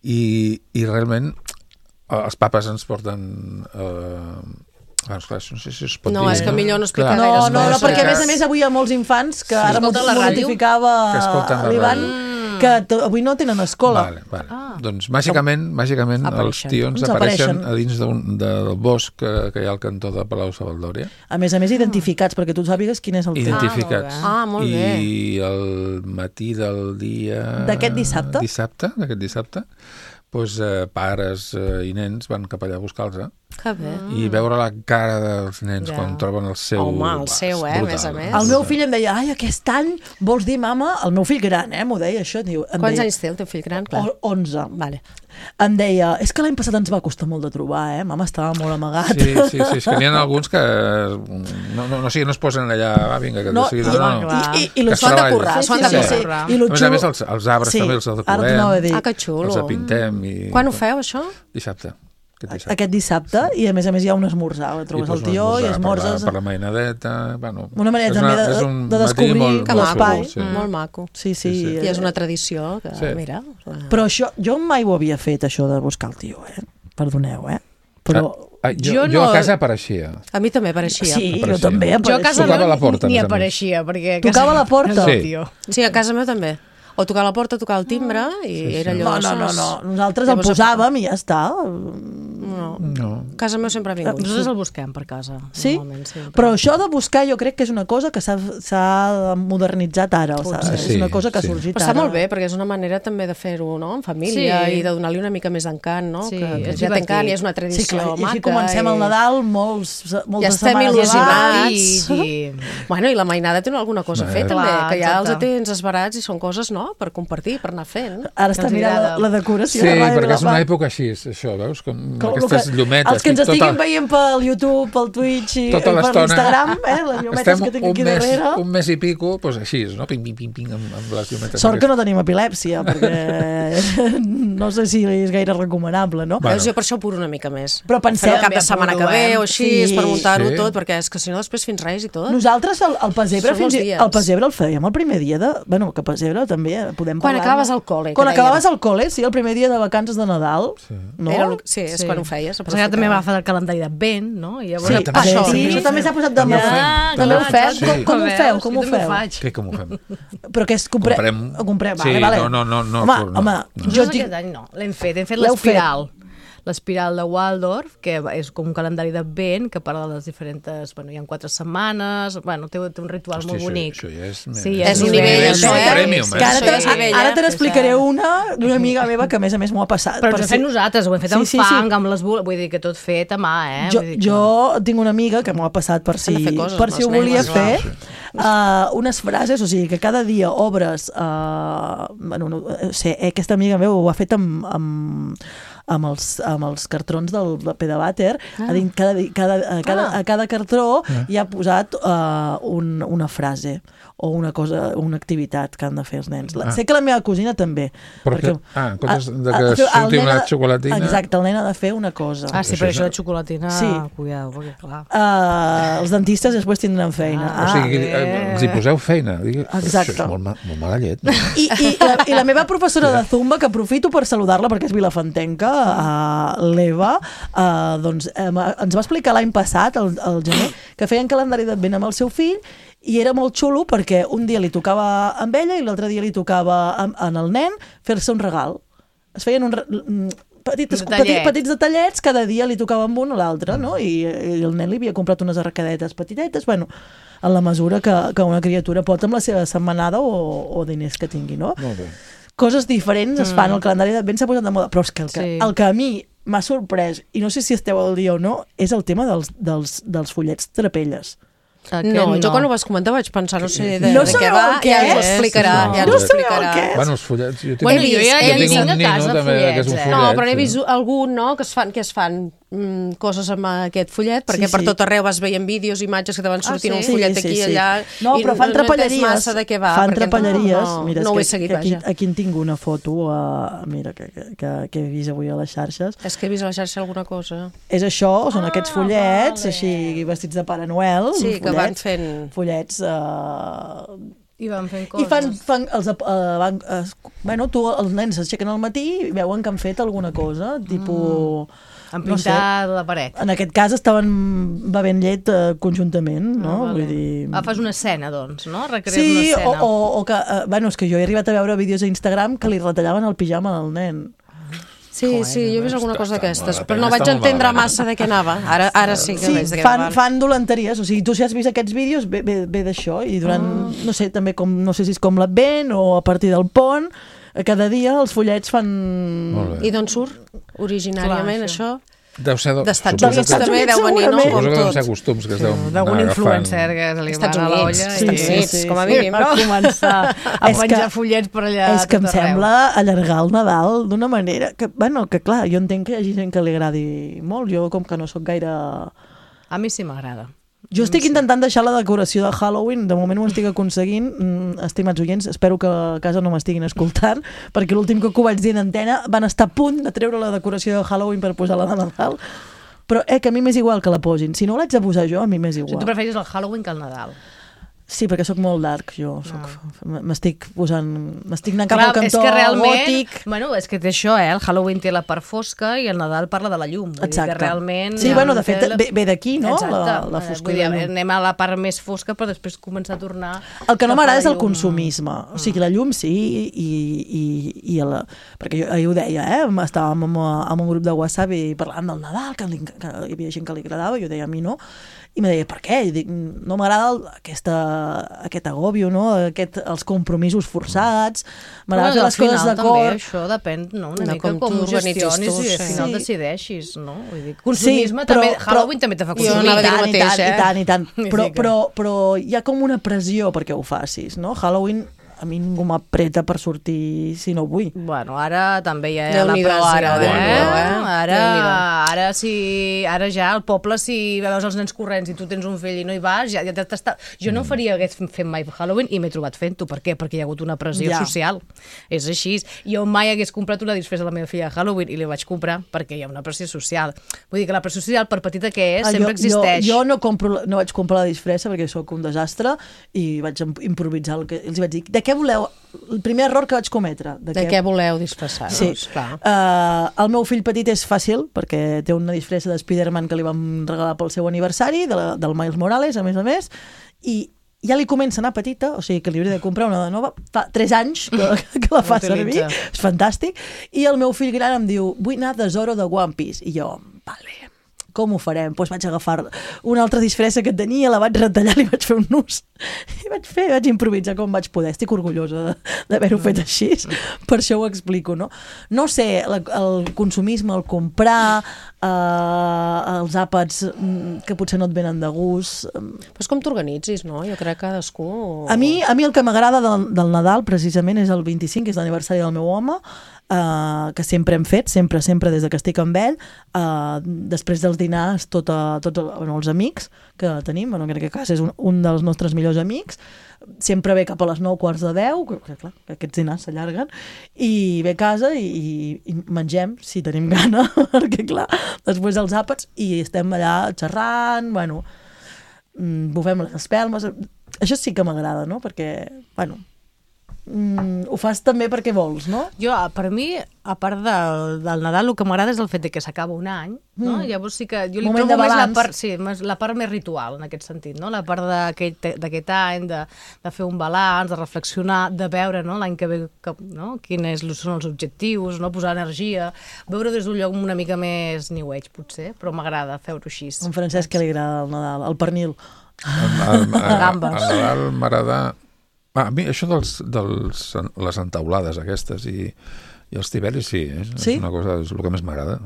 I, i realment eh, els papes ens porten... Eh, Ah, esclar, no sé si es pot No, dir. és que millor no explicar No, gaires no, no, coses. perquè a més a més avui hi ha molts infants que ara m'ho Escolten la ràdio? notificava Que escolten la l'Ivan ràdio. que t- avui no tenen escola. Vale, vale. Ah. Doncs màgicament, màgicament els Apareixen. tions Ens apareixen apareixen. a dins d'un- del bosc que, que hi ha al cantó de Palau Savaldòria, A més a més identificats, perquè tu sàpigues quin és el teu. identificats. Ah, molt bé. I el matí del dia... D'aquest dissabte? Dissabte, d'aquest dissabte, doncs, eh, pares eh, i nens van cap allà a buscar-los, eh? Que bé. I veure la cara dels nens Ja. quan troben el seu... Home, el va, seu, és eh, a brutal. més a més. El meu fill em deia, ai, aquest any vols dir mama? El meu fill gran, eh, m'ho deia això. Diu, em Quants deia, anys té el teu fill gran? Clar. O- onze. Vale. Em deia, és que l'any passat ens va costar molt de trobar, eh? Mama estava molt amagat. Sí, sí, sí, és que n'hi ha alguns que no, no, no, sí, no es posen allà, va, vinga, que No, no, sigui, i- no, no, clar. I, i, i que lo es S'ho han de treballi. currar, s'ho han sí, de sí, sí. currar. I lo A més a xulo... més, els, els arbres Sí, també els ara decorem, t'anava a dir. Ah, que xulo. els apintem. I... Quan ho feu, això? Dissabte. Aquest dissabte. Aquest dissabte, i a més a més hi ha un esmorzar. Trobes I el pots tió i esmorzar esmorzes... Per la, per la mainadeta, bueno... Una manera és també de- és un de matí descobrir molt, Que molt l'espai. maco. xulo, sí. Molt maco. Sí, sí. Sí, sí. I és una tradició que, Sí. mira... Però això, jo mai ho havia fet, això de buscar el tio, eh? Perdoneu, eh? Però... Ah, jo, Jo jo no- a casa apareixia. A mi també pareixia. Sí, jo apareixia. també Jo a apareixia. casa Tocava no, la porta, ni a més a més. apareixia, perquè... a Tocava casa- la porta? Sí. Tio. Sí, a casa meva també. O tocar la porta, tocar el timbre, i Sí, sí. era allò... No, no, no, sos- no. Nosaltres el Llavors, posàvem i ja està. No. No. A casa meva sempre ha vingut. Nosaltres el busquem per casa. Sí? normalment, sí Però això de buscar jo crec que és una cosa que s'ha s'ha modernitzat ara. O sigui, Sí, és una cosa que ha sí. sorgit Però està ara. molt bé, perquè és una manera també de fer-ho, no?, en família, Sí. i de donar-li una mica més d'encant, no?, Sí, que, que és ja té encant divertit. i és una tradició Sí, clar, i maca. així comencem el i- Nadal molts, moltes Ja estem setmanes il·lusionats. abans. I, i... Bueno, i la mainada té alguna cosa a fer, Eh. també, Clar, que ja els exacte. tens esbarats i són coses, no?, per compartir, per anar fent. Ara està Ens mirant la, agrada. la decoració Sí, de Ràdio perquè és una Vilafant. època així, això, veus? Com, Com aquestes que- llumetes. Els que ens tota- estiguin veient pel YouTube, pel Twitch i tota per l'estona. l'Instagram, eh, les llumetes Estem que tinc un aquí mes, darrere. un mes i pico, doncs així, no? Ping, ping, ping, ping, amb, amb les llumetes. Sort que no tenim epilèpsia, perquè no sé si és gaire recomanable, no? Bueno. Veus, jo per això puro una mica més. Però penseu- Faré el cap de També setmana que puro, ve eh? o així, Sí. per muntar-ho Sí. tot, perquè és que si no després fins Reis i tot. Nosaltres el, el pessebre, Són fins molts i, dies. el pessebre el fèiem el primer dia de... Bueno, que pessebre també eh, podem Quan parlar. acabaves el col·le, Quan que acabaves dèiem. el col·le, sí, el primer dia de vacances de Nadal. Sí. No? Era el, sí, és Sí. quan ho feies. Però ara també va fer el calendari d'advent, no? I llavors... Sí, també sí, això, sí, també això ho també fem. s'ha posat de moda. Ja, També ho clar, fem? sí. Com, com ho feu? Com ho Jo també feu? faig. Què, com ho fem? Però que és... Compre... Comprem- Ho comprem, Sí, vale, vale. no, no, no, no, Home, no, home, no. jo Nosaltres tinc... aquest any no, l'hem fet, hem fet L'heu fet? l'espiral. L'espiral de Waldorf, que és com un calendari d'advent que parla de les diferents... Bueno, hi ha quatre setmanes, bueno, té, té un ritual Hòstia, molt això- bonic. això ja és- sí, és un nivell, això, eh? Premium, Que ara Això te, ja és nivell, ara eh? te n'explicaré Sí, sí. una d'una amiga meva que a més a més m'ho ha passat. Però Per ens ho si- hem fet nosaltres, ho hem fet Sí, amb sí, sí. fang, amb les bules, vull dir que tot fet a mà, eh? Jo, Vull dir que- jo tinc una amiga que m'ho ha passat per si, S'han de fer coses per amb si els ho volia nens, fer, uh, unes frases, o sigui, que cada dia obres... Uh, bueno, no, no sé, eh, aquesta amiga meva ho ha fet amb, amb, amb, els, amb els cartrons del, del Pedavàter, ah. a dins cada, di- cada, a, cada, Ah. a cada cartró hi ha posat uh, un, una frase o una cosa, una activitat que han de fer els nens. La, Ah. Sé que la meva cosina també. Perquè, ah, en comptes de que el surti nen una ha- xocolatina... Exacte, el nen ha de fer una cosa. Ah, sí, Això però és- això de xocolatina, Sí. cuidado, perquè clar... Uh, els dentistes després tindran feina. Ah. O sigui, bé. els hi poseu feina. Dic, Exacte. això és molt, ma molt mala llet. No? I, i, la, I la meva professora de Zumba, que aprofito per saludar-la perquè és vilafantenca, uh, l'Eva, uh, doncs, um, ens va explicar l'any passat, el, el gener, que feien calendari d'advent amb el seu fill i era molt xulo perquè un dia li tocava amb ella i l'altre dia li tocava amb, en el nen fer-se un regal. Es feien un... Petites, petits, petits detallets, cada dia li tocava amb un o l'altre, no? I, I el nen li havia comprat unes arracadetes petitetes, bueno, en la mesura que, que una criatura pot amb la seva setmanada o, o diners que tingui, no? Molt bé. Coses diferents es fan, el calendari d'advent s'ha posat de moda, però és que el que, Sí. el que a mi m'ha sorprès, i no sé si esteu al dia o no, és el tema dels, dels, dels follets trapelles. Aquest No, jo quan ho vas comentar vaig pensar, no sé de, No de què sabeu va, el què ja ens ho és? explicarà. No. Ja No ens ho sabeu el explicarà. què és? Bueno, els follets... Jo tinc, Bueno, un, jo ja- jo ja tinc tinc un a nino casa també, que és un follets, eh? follet. No, però n'he sí. vist algun, no?, que es fan, que es fan mm, coses amb aquest follet, perquè Sí, per sí. tot arreu vas veient vídeos, imatges que te van sortint Ah, un sí? follet Sí, sí, aquí i sí. allà... No, i però fan no, no trapelleries. entens massa de què va. Fan perquè trapelleries. No, Mira, és no ho he que, seguit, que aquí, vaja. aquí en tinc una foto, uh, mira, que, que, que, que he vist avui a les xarxes. És que he vist a la xarxa alguna cosa. És això, són Ah, aquests follets, vale. així vestits de Pare Noel, Sí, que van follets, fent... follets... Uh, I van fent coses. I fan, fan els, uh, van, uh, bueno, tu, els nens s'aixequen al matí i veuen que han fet alguna cosa, tipus... Han no sé, pintat la paret. en aquest cas estaven bevent llet uh, conjuntament, no? Ah, vale. Vull dir... Ah, fas una escena, doncs, no? Recrees Sí, una o, escena. o, o que... Uh, bueno, és que jo he arribat a veure vídeos a Instagram que li retallaven el pijama al nen. Sí, sí, jo he vist alguna cosa està d'aquestes, molt però no malament, vaig està molt entendre malament. massa de què anava. Ara, ara sí que Sí, veig de què fan, anava. fan dolenteries, o sigui, tu si has vist aquests vídeos ve, ve, ve d'això, i durant, Ah. no sé, també com, no sé si és com l'Advent o a partir del pont, eh, cada dia els follets fan... Molt bé. I d'on surt originàriament Clar, això? Deu ser... D'Estats suposo Units que- també deu venir, no? segurament. Com Suposo que deuen ser tot. costums que es deuen D'algun anar agafant. influencer que se li Estats va a Units, l'olla Estats i... Units, com a mínim, no? Va començar a És menjar que- follets per allà És que em tot arreu. sembla allargar el Nadal d'una manera que, bueno, que clar, jo entenc que hi hagi gent que li agradi molt, jo com que no sóc gaire... A mi sí m'agrada. Jo estic intentant deixar la decoració de Halloween, de moment ho estic aconseguint, mm, estimats oients, espero que a casa no m'estiguin escoltant, perquè l'últim cop que ho vaig dir en antena van estar a punt de treure la decoració de Halloween per posar-la de Nadal, però eh, que a mi m'és igual que la posin, si no l'haig de posar jo, a mi m'és O sigui, tu igual. preferis el Halloween que el Nadal. Sí, perquè sóc molt dark, jo soc, m'estic posant, m'estic anant cap Clar, al cantó és que realment, gòtic. Bueno, és que té això, eh? El Halloween té la part fosca i el Nadal parla de la llum. Vull Exacte. dir que realment... Sí, bueno, de fet, té ve, ve d'aquí, no? Exacte. La, la Eh, foscor Vull dir, de la llum. anem a la part més fosca, però després començar a tornar... El que no cap a m'agrada la és el llum. consumisme. O sigui, la llum sí, i, i, i la... perquè jo ahir ho deia, eh? Estàvem amb, amb un grup de WhatsApp i parlant del Nadal, que, li, que hi havia gent que li agradava, i jo deia a mi no, i me deia, per què? I dic, no m'agrada el- aquesta, aquest agòbio, no? Aquest, els compromisos forçats, m'agrada fer Bueno, al les coses final també d'acord. això depèn, no? Una De mica com com, tu ho organitzis gestionis tu, i al sí. final Sí. decideixis, no? Vull dir, consumisme Sí, però- també... però- Halloween també te fa Jo consumir. anava a dir el I mateix, tant, eh? i tant, i tant. Vull Però, dir que- però, però hi ha com una pressió perquè ho facis, no? Halloween a mi ningú m'apreta per sortir si no vull. Bueno, ara també hi ha la Déu-n'hi-do, pressió, ara, eh? Déu-n'hi-do, eh? Ara, Déu-n'hi-do. ara, si, ara ja al poble, si veus els nens corrents i tu tens un fill i no hi vas, ja, ja t'està... Jo no faria hagués fet mai Halloween i m'he trobat fent-ho. Per què? Perquè hi ha hagut una pressió Ja. social. És així. Jo mai hagués comprat una disfressa a la meva filla de Halloween i li vaig comprar perquè hi ha una pressió social. Vull dir que la pressió social, per petita que és, Ah, sempre jo, existeix. Jo, jo no, compro, no vaig comprar la disfressa perquè sóc un desastre i vaig im- improvisar el que els vaig dir. De què voleu? El primer error que vaig cometre. De què voleu disfressar-vos? Sí. Clar. Uh, el meu fill petit és fàcil perquè té una disfressa de Spider-Man que li vam regalar pel seu aniversari, de la, del Miles Morales, a més a més, i ja li comença a anar petita, o sigui que li hauria de comprar una de nova, fa tres anys que, que la fa servir, L'utilitza. és fantàstic, i el meu fill gran em diu, vull anar de Zoro de One Piece, i jo, vale, com ho farem? Doncs pues vaig agafar una altra disfressa que tenia, la vaig retallar i vaig fer un nus. I vaig fer, vaig improvisar com vaig poder. Estic orgullosa de- d'haver-ho fet així. Per això ho explico, no? No sé, la, el consumisme, el comprar, eh, els àpats mm, que potser no et venen de gust... Però és com t'organitzis, no? Jo crec que cadascú... A mi, a mi el que m'agrada del, del Nadal, precisament, és el vint-i-cinc, que és l'aniversari del meu home, uh, que sempre hem fet, sempre, sempre, des de que estic amb ell. Uh, després dels dinars, tota, tots el- bueno, els amics que tenim, bueno, crec que a casa és un, un dels nostres millors amics, sempre ve cap a les nou quarts de deu, que, que, clar, que aquests dinars s'allarguen, i ve a casa i, i, i mengem, si tenim gana, perquè clar, després dels àpats, i estem allà xerrant, bueno, mm, bufem les espelmes, això sí que m'agrada, no? Perquè, bueno, mm, ho fas també perquè vols, no? Jo, per mi, a part del, del Nadal, el que m'agrada és el fet de que s'acaba un any, no? Mm. Llavors sí que jo li Moment trobo de més la balanç. part, sí, més, la part més ritual, en aquest sentit, no? La part d'aquest d'aquest any, de, de fer un balanç, de reflexionar, de veure, no? L'any que ve, que, no? Quins són els objectius, no? Posar energia, veure des d'un lloc una mica més new age, potser, però m'agrada fer-ho així. A en Francesc que li agrada el Nadal, el pernil. El, el, el, Gambes. el Nadal m'agrada... Ah, a mi això dels, dels, les entaulades aquestes i, i els tiberis, sí, eh? Sí? És una cosa, és el que més m'agrada.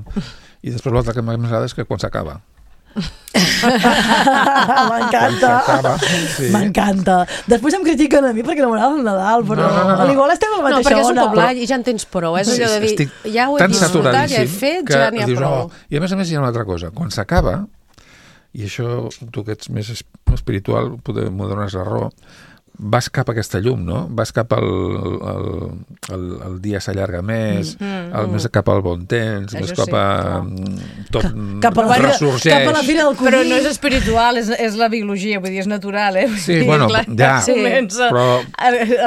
I després l'altre que més m'agrada és que quan s'acaba. M'encanta. S'acaba, sí. M'encanta. Després em critiquen a mi perquè no m'agrada el Nadal, però No, no, no, no. a l'igual estem a la No, mateixa perquè és un ona. cop l'any i ja en tens prou. És allò de dir, Estic ja ho he tan disfrutat, ja he saturadíssim fet, que ja n'hi ha dius, prou. "Oh". I a més a més hi ha una altra cosa. Quan s'acaba, i això tu que ets més es- espiritual poder, m'ho dones la raó, vas cap a aquesta llum, no? Vas cap al... El, el, el dia s'allarga més, Mm, el, més cap al bon temps, Això més sí, cap a... clar. Tot Cap a la fira, ressorgeix. cap a la fira del codí. Però no és espiritual, és, és la biologia, vull dir, és natural, eh? Vull Sí, dir, bueno, clar, ja, sí, comença, però-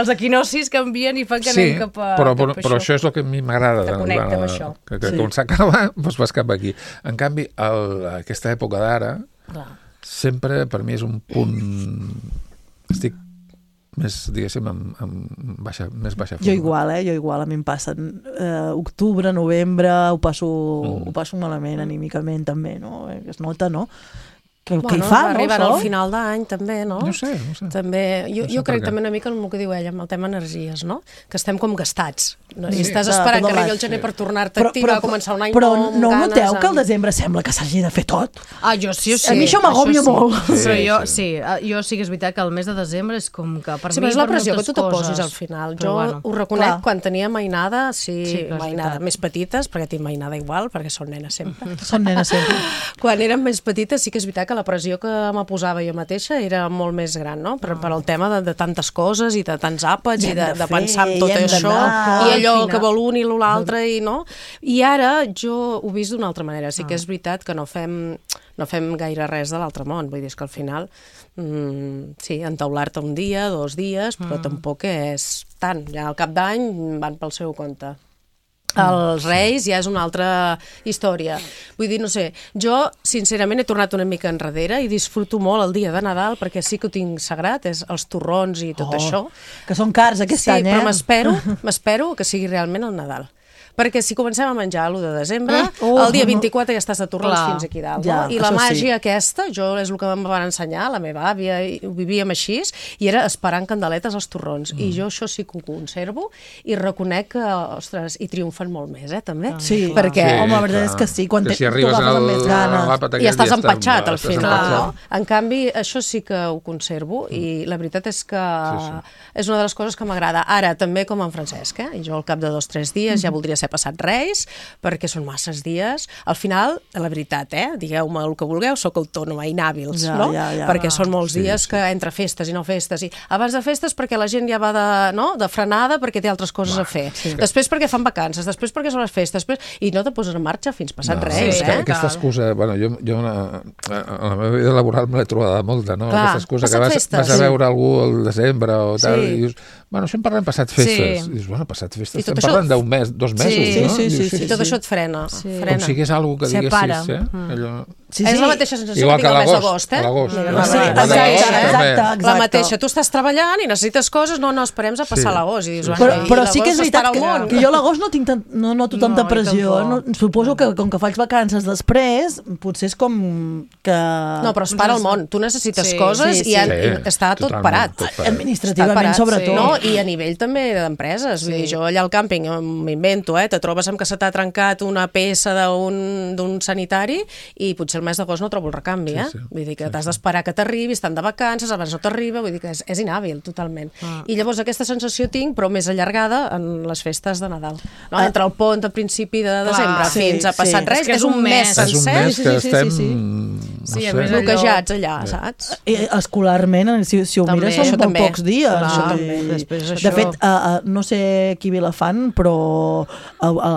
els equinocis canvien i fan que Sí, anem cap a, però, cap però, a però això és el que a mi m'agrada. Te connecta amb la- això. Que, que Sí. quan s'acaba, doncs vas cap aquí. En canvi, el, aquesta època d'ara, sempre per mi és un punt... Estic més, diguéssim, amb, amb baixa, més baixa forma. Jo igual, eh? Jo igual, a mi em passen eh, octubre, novembre, ho passo, Mm. ho passo malament anímicament també, no? Eh, Es nota, no? Que, que Bueno, hi fa, no, arribant això? al final d'any també, no? No sé, no sé. També, jo, No sé jo per crec què. també una mica amb el que diu ella, amb el tema energies, no? Que estem com gastats. No? I Sí, estàs de esperant tot que arribi l'any. el gener per tornar-te a activar, a començar un any però nou, amb no ganes, noteu que al amb- desembre sembla que s'hagi de fer tot? Ah, jo sí, jo sí. A mi això m'agòbia sí. molt. Però Sí, jo sí. sí, eh, jo sí que és veritat que el mes de desembre és com que per Sí, mi... però és la per pressió que moltes tu te posis coses. al final. Però Jo bueno. ho reconec, clar. quan tenia mainada, sí, Sí, clar, és mainada, veritat. més petites, perquè tinc mainada igual, perquè són nenes sempre. Són nenes sempre. Quan érem més petites sí que és veritat que la pressió que me posava jo mateixa era molt més gran, no? Per, per el tema de, de tantes coses i de tants àpats I i hem de, de de fer, pensar en tot i hem això d'anar. i allò Al que final. vol un i l'altre i no? I ara jo ho he vist d'una altra manera. Sí que és veritat que no fem, no fem gaire res de l'altre món. Vull dir, és que al final mm, sí, entaular-te un dia, dos dies, però Mm. tampoc és tant. Ja al cap d'any van pel seu compte. Els Reis ja és una altra història. Vull dir, no sé, jo sincerament he tornat una mica enrere i disfruto molt el dia de Nadal perquè sí que ho tinc sagrat, és els torrons i tot Oh, això. Que són cars aquest Sí, any, eh? però m'espero, m'espero que sigui realment el Nadal. Perquè si comencem a menjar l'u de desembre, Oh, el dia no. vint-i-quatre ja estàs de torrons Clar. fins aquí dalt. Ja, No? I la això sí. màgia aquesta, jo és el que em van ensenyar, la meva àvia, i ho vivíem així, i era esperant candeletes als torrons. Mm. I jo això sí que ho conservo i reconec que, ostres, hi triomfen molt més, eh, també. Sí, perquè sí, home, la veritat és que sí, quan que te- si tu arribes agafes al, amb més ganes. a l'àpat I aquell estàs ja empatxat al estàs final, empatxat. no? En canvi, això sí que ho conservo i la veritat és que Sí, és una de les coses que m'agrada. Ara, també com en Francesc, eh? I jo al cap de dos o tres dies ja voldria ser passat Reis, perquè són masses dies. Al final, la veritat, eh? Digueu-me el que vulgueu, sóc autònoma, inhàbils, Ja, no? ja, ja. Perquè són molts Sí, dies sí. que entre festes i no festes. I abans de festes perquè la gent ja va de, no? de frenada perquè té altres coses a fer. sí. Després perquè fan vacances, després perquè són les festes, després... i no te poses en marxa fins passat No, Reis, és que eh? aquesta excusa, bueno, jo, jo una, a la meva vida laboral me l'he trobada molta, no? Clar, Aquesta excusa que passat vas, festes. vas a veure algú al desembre o tal, Sí. i dius, bueno, això en parlem passat festes. Sí. I dius, bueno, passat festes, I tot estem això- parlant d'un mes, dos mesos, Sí, no? sí, sí, Dius, sí, I tot això et frena. frena. Com si hagués alguna que diguessis, Separa. eh? Allò... Sí, És sí. la mateixa sensació Igual que tinc que al mes l'agost, d'agost, eh? a l'agost. Mira, Sí, la- Sí, la- exacte, la- exacte, La exacte. mateixa, tu estàs treballant i necessites coses, no, no, esperem a passar Sí. l'agost. I dius, Sí, bueno, Però, i però sí que és l'agost veritat estarà que, al món. que jo a l'agost no, tinc tant, no noto No, tanta jo pressió. tampoc. No, suposo que com que faig vacances després, potser és com que... No, però es para el món. Tu necessites Sí, coses sí, sí. i en- Sí, i està tot totalment, parat. tot parat. Administrativament, Està parat, sobretot. sí. No? I a nivell també d'empreses. Vull Sí. dir, jo allà al càmping m'invento, eh? Te trobes amb que se t'ha trencat una peça d'un d'un sanitari i potser el mes d'agost no trobo el recanvi, eh? Sí, sí. Vull dir que t'has d'esperar que t'arribi, estan de vacances, abans no t'arriba, vull dir que és, és inhàbil totalment. Ah. I llavors aquesta sensació tinc, però més allargada en les festes de Nadal. No? Ah. Entre el pont a principi de desembre sí, fins a passat sí. Reis, És que és un mes És un sencer. mes sí, que sí, sí, estem... sí, sí, sé. a més bloquejats allà, saps? Eh, escolarment, si, si ho També, mires, són això molt també. pocs dies. Clar, o això sigui, també. Després De això- fet, uh, uh, no sé qui Vilafant, però a, a,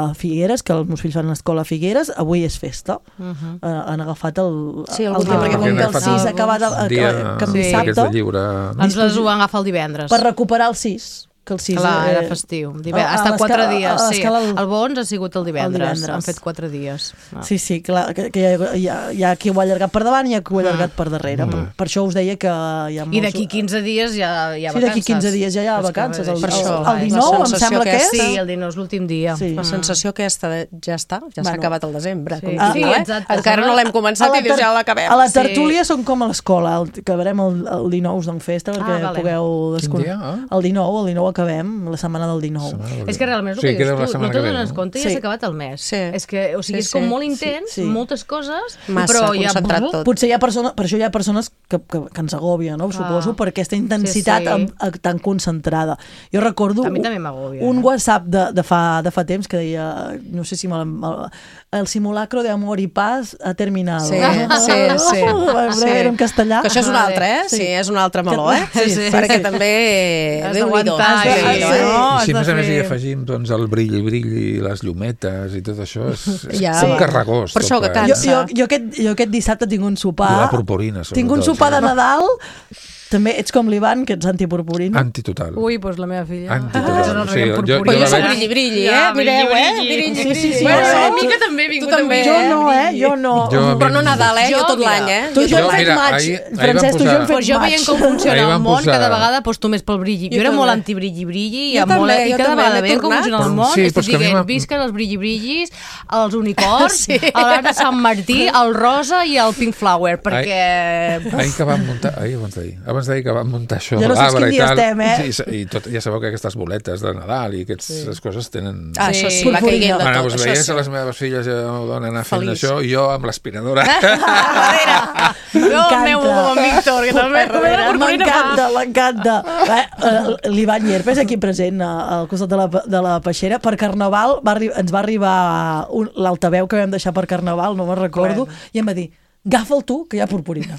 a Figueres, que els meus fills fan l'escola a Figueres, avui és festa. Uh -huh. uh, han agafat el, Sí, el algun dia, dia, perquè perquè com han que el agafat sis un ha acabat el, dia que en sí. dissabte, d'aquests de lliure... Ens les ho van agafar el divendres. per recuperar el sis. Que el sis, Clar, eh, era festiu. Dive... a- a Hasta quatre l'escala- dies, a sí. l'escala el- El Bons ha sigut el divendres. divendres. Han fet quatre dies. Ah. Sí, sí, clar, que, que hi, ha, hi, ha, hi ha qui ho ha allargat per davant i hi ha qui ho ha allargat per darrere. Mm. Per, per això us deia que hi ha molts... I d'aquí quinze dies ja hi ha Sí, vacances. d'aquí quinze dies ja hi ha És que vacances. El, és el, això, el és dinou, la em sensació sembla que és. aquesta. Sí, el dinou és l'últim dia. Sí. La sensació aquesta de ja està, ja s'ha Bueno. acabat el desembre. Sí. Com Ah, qui sí, diu, eh? exacte. Encara no l'hem començat i dius ja l'acabem. A la Sí. tertúlia són com a l'escola, el- acabarem el, el dinou d'en festa perquè Ah, vale. pugueu Quin desconnectar. dia? Ah? El dinou, el dinou acabem, la setmana del dinou. És que realment és el Sí, que queda dius la tu, setmana no que te'n ve, dones no? compte i Sí. ja s'ha acabat el mes. Sí. És que, o sigui, Sí, és com sí. molt intens, Sí, sí. moltes coses, Massa però ja... concentrat tot. Potser hi ha persones, per això hi ha persones que, que, que ens agòbia, no? Suposo, per aquesta intensitat Sí, sí. amb- amb- tan concentrada. Jo recordo A mi també m'agòbia, un eh? WhatsApp de, de, fa, de fa temps que deia, no sé si me l'ha- el simulacro de amor i paz ha terminado. Sí, sí, sí. sí. Era en castellà. Que això és un altre, eh? Sí, Sí. és un altre meló, eh? Sí, sí, Perquè sí. també... Has Déu-n'hi-do. d'aguantar, Déu-n'hi-do, sí. eh? no? I si a Has més de a més hi fer- afegim doncs, el brilli, brilli, les llumetes i tot això, és, és Ja, un va. carregós. Per això tot que plegat. Jo, cansa. jo, jo, aquest, jo aquest dissabte tinc un sopar... I la purpurina, sobretot. Tinc un sopar de Nadal. També ets com l'Ivan, que ets antipurpurina. Antitotal. Ui, doncs la meva filla... Antitotal. Això no O sigui, reguem jo- purpurina. Però jo la soc veig- brilli, brilli, eh? Ja, Mireu, eh? brilli, Brilli, Sí, sí, sí. Bueno, Jo- una mica també he vingut Tu també, amb Jo eh? no, eh? Jo no. Jo- Però no Nadal, eh? Jo tot mira, l'any, eh? Tu i jo Jo, hem fet mira, maig. ahir- ahir Francesc, vam tu i jo hem posar- fet Pues jo maig. veient com funciona Ahir el vam món, posar- cada vegada aposto més pel brilli. Jo, Jo era també. molt anti-brilli-brilli i, Jo amb molt, també, i jo cada també, vegada m'he veient com tornat. funciona el Però món, sí, estic però és que a mi dient, m'ha- visquen els brilli-brillis, els unicorns, Sí. l'arbre de Sant Martí, el rosa i el pink flower, perquè... Ahir que vam muntar, ahir abans d'ahir, abans d'ahir que vam muntar això, Ja no saps l'arbre quin i dia tal, estem, eh? sí, i tot, ja sabeu que aquestes boletes de Nadal i aquestes coses tenen... Ah, això sí, Sí. va caiguent de Bueno, tot. doncs Això veies sí. a les meves filles ja donen anar fent Feliç. això i jo amb l'aspiradora. Darrere. Jo el meu M'encanta. amb Víctor, que també la purpurina M'encanta, m'encanta. Eh, eh, L'Ivan Llerpes, aquí present, eh, al costat de la, de la peixera, per Carnaval va arri- ens va arribar un- l'altaveu que vam deixar per Carnaval, no me'n recordo, i em va dir, agafa'l tu, que hi ha purpurina.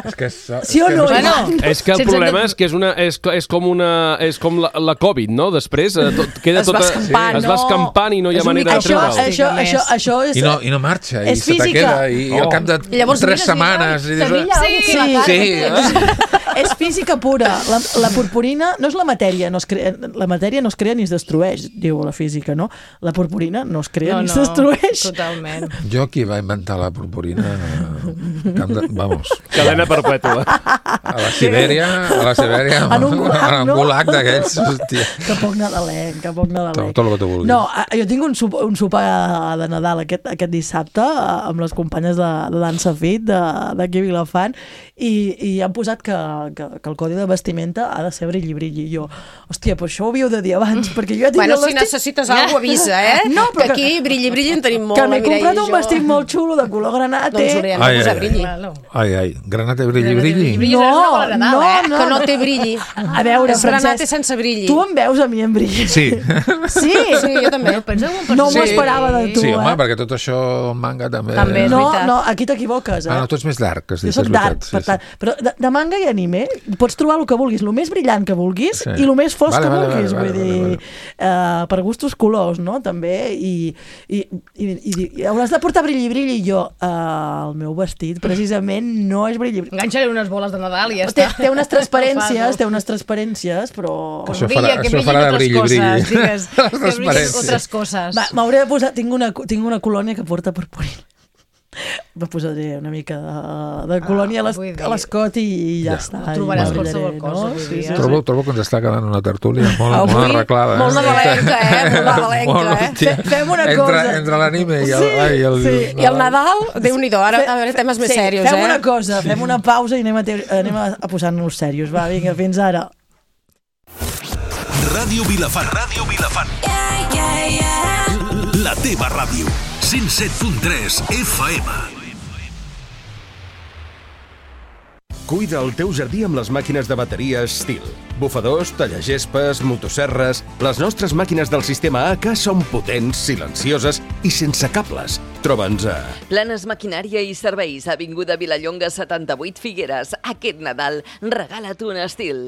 és que és, Sí o és no? que Bueno, És que el sense problema entendre- és que és, una, és, és com una és com la, la Covid, no? Després eh, tot, queda Es va tota, escampant, es va no? escampant i no hi ha És un manera de Això, treure'l. això, això, això és... I no, I no marxa, i És se te física. queda, i, i al Oh. cap de I llavors tres mires i setmanes... Te I dius, brilla algo aquí a la Sí. cara. sí, eh? És física pura. La, la purpurina no és la matèria, no es crea, la matèria no es crea ni es destrueix, diu la física, no? La purpurina no es crea No, ni no, es destrueix. totalment. Jo qui va inventar la purpurina, eh, camp de, vamos, Cadena perpètua. a la Sibèria, a la Sibèria, En un gulag, en un no? gulag d'aquells, hòstia. Que poc nadalenc, que poc nadalenc. Tot, tot el que tu vulguis. No, a- jo tinc un, sop, un sopar de Nadal aquest, aquest dissabte eh, amb les companyes de, de dansa fit de- d'aquí a Vilafant i, i han posat que, que, que el codi de vestimenta ha de ser brilli-brilli. I jo, hòstia, però això ho havíeu de dir abans, perquè jo ja tinc Bueno, el si vestit... necessites alguna cosa, avisa, eh? No, però que aquí, brilli, brilli, en tenim molt, que la m'he Mireia comprat i un jo. vestit molt xulo de color granate. Doncs haurem de Ai, posar ai, brilli. Claro. Ai, ai, granate brilli, brilli. Brilli No, és una bola de Nadal, no, eh? no. Que no té brilli. A veure, És granate Francesc, sense brilli. tu em veus a mi en brilli? Sí. Sí? Sí, jo també. Però pensa que un No m'ho personatge- esperava de tu, Sí, home, eh? perquè tot això en manga també... També és No, veritat. no, aquí t'equivoques, eh? Ah, no, tu ets més dark, has Jo dit, soc és dark, veritat. per tant. Però de, de manga i anime pots trobar el que vulguis, el més brillant que vulguis Sí. i el més fosc Vale, que vale, vulguis. vale, vull vale, dir, vale, eh, per gustos colors, no? També. I, i, i, i, i hauràs de portar brilli, brilli. I jo, eh, el meu vestit, precisament, no és brilli, brilli. Enganxa-li unes boles de Nadal i ja Té, està. té unes transparències, Fas-ho. té unes transparències, però... Que Això brilla, farà- que això brillin farà de otras brilli, coses, brilli. digues, Les que brillin transparències. otras coses. Va, m'hauré de posar... Tinc una, tinc una colònia que porta purpurina. Me posaré una mica de, de colònia Ah, a vull l'es- dir- a l'escot i, i ja Ja. està. Ho trobaràs I qualsevol brillaré, cosa, vull dir, eh? Trobo, trobo que ens està quedant una tertúlia molt, Avui, molt arreglada. molt nadalenca, eh? Molt nadalenca, Molt, eh? hòstia. Fe- fem una entre, cosa. Entre l'anime i el... Sí, ai, el, sí. I el Nadal, Déu-n'hi-do, ara a veure temes més Sí, serios, fem eh? una cosa, fem una pausa i anem a, te- anem a, a posar-nos serios. Va, vinga, fins ara. Ràdio Vilafant. Ràdio Vilafant. Yeah, yeah, yeah. La teva ràdio. cent set punt tres F M. Cuida el teu jardí amb les màquines de bateria Stihl. Bufadors, tallagespes, motosserres... Les nostres màquines del sistema A K són potents, silencioses i sense cables. Troba'ns a... Planes Maquinària i Serveis, avinguda Vilallonga setanta-vuit Figueres. Aquest Nadal, regala't un estil.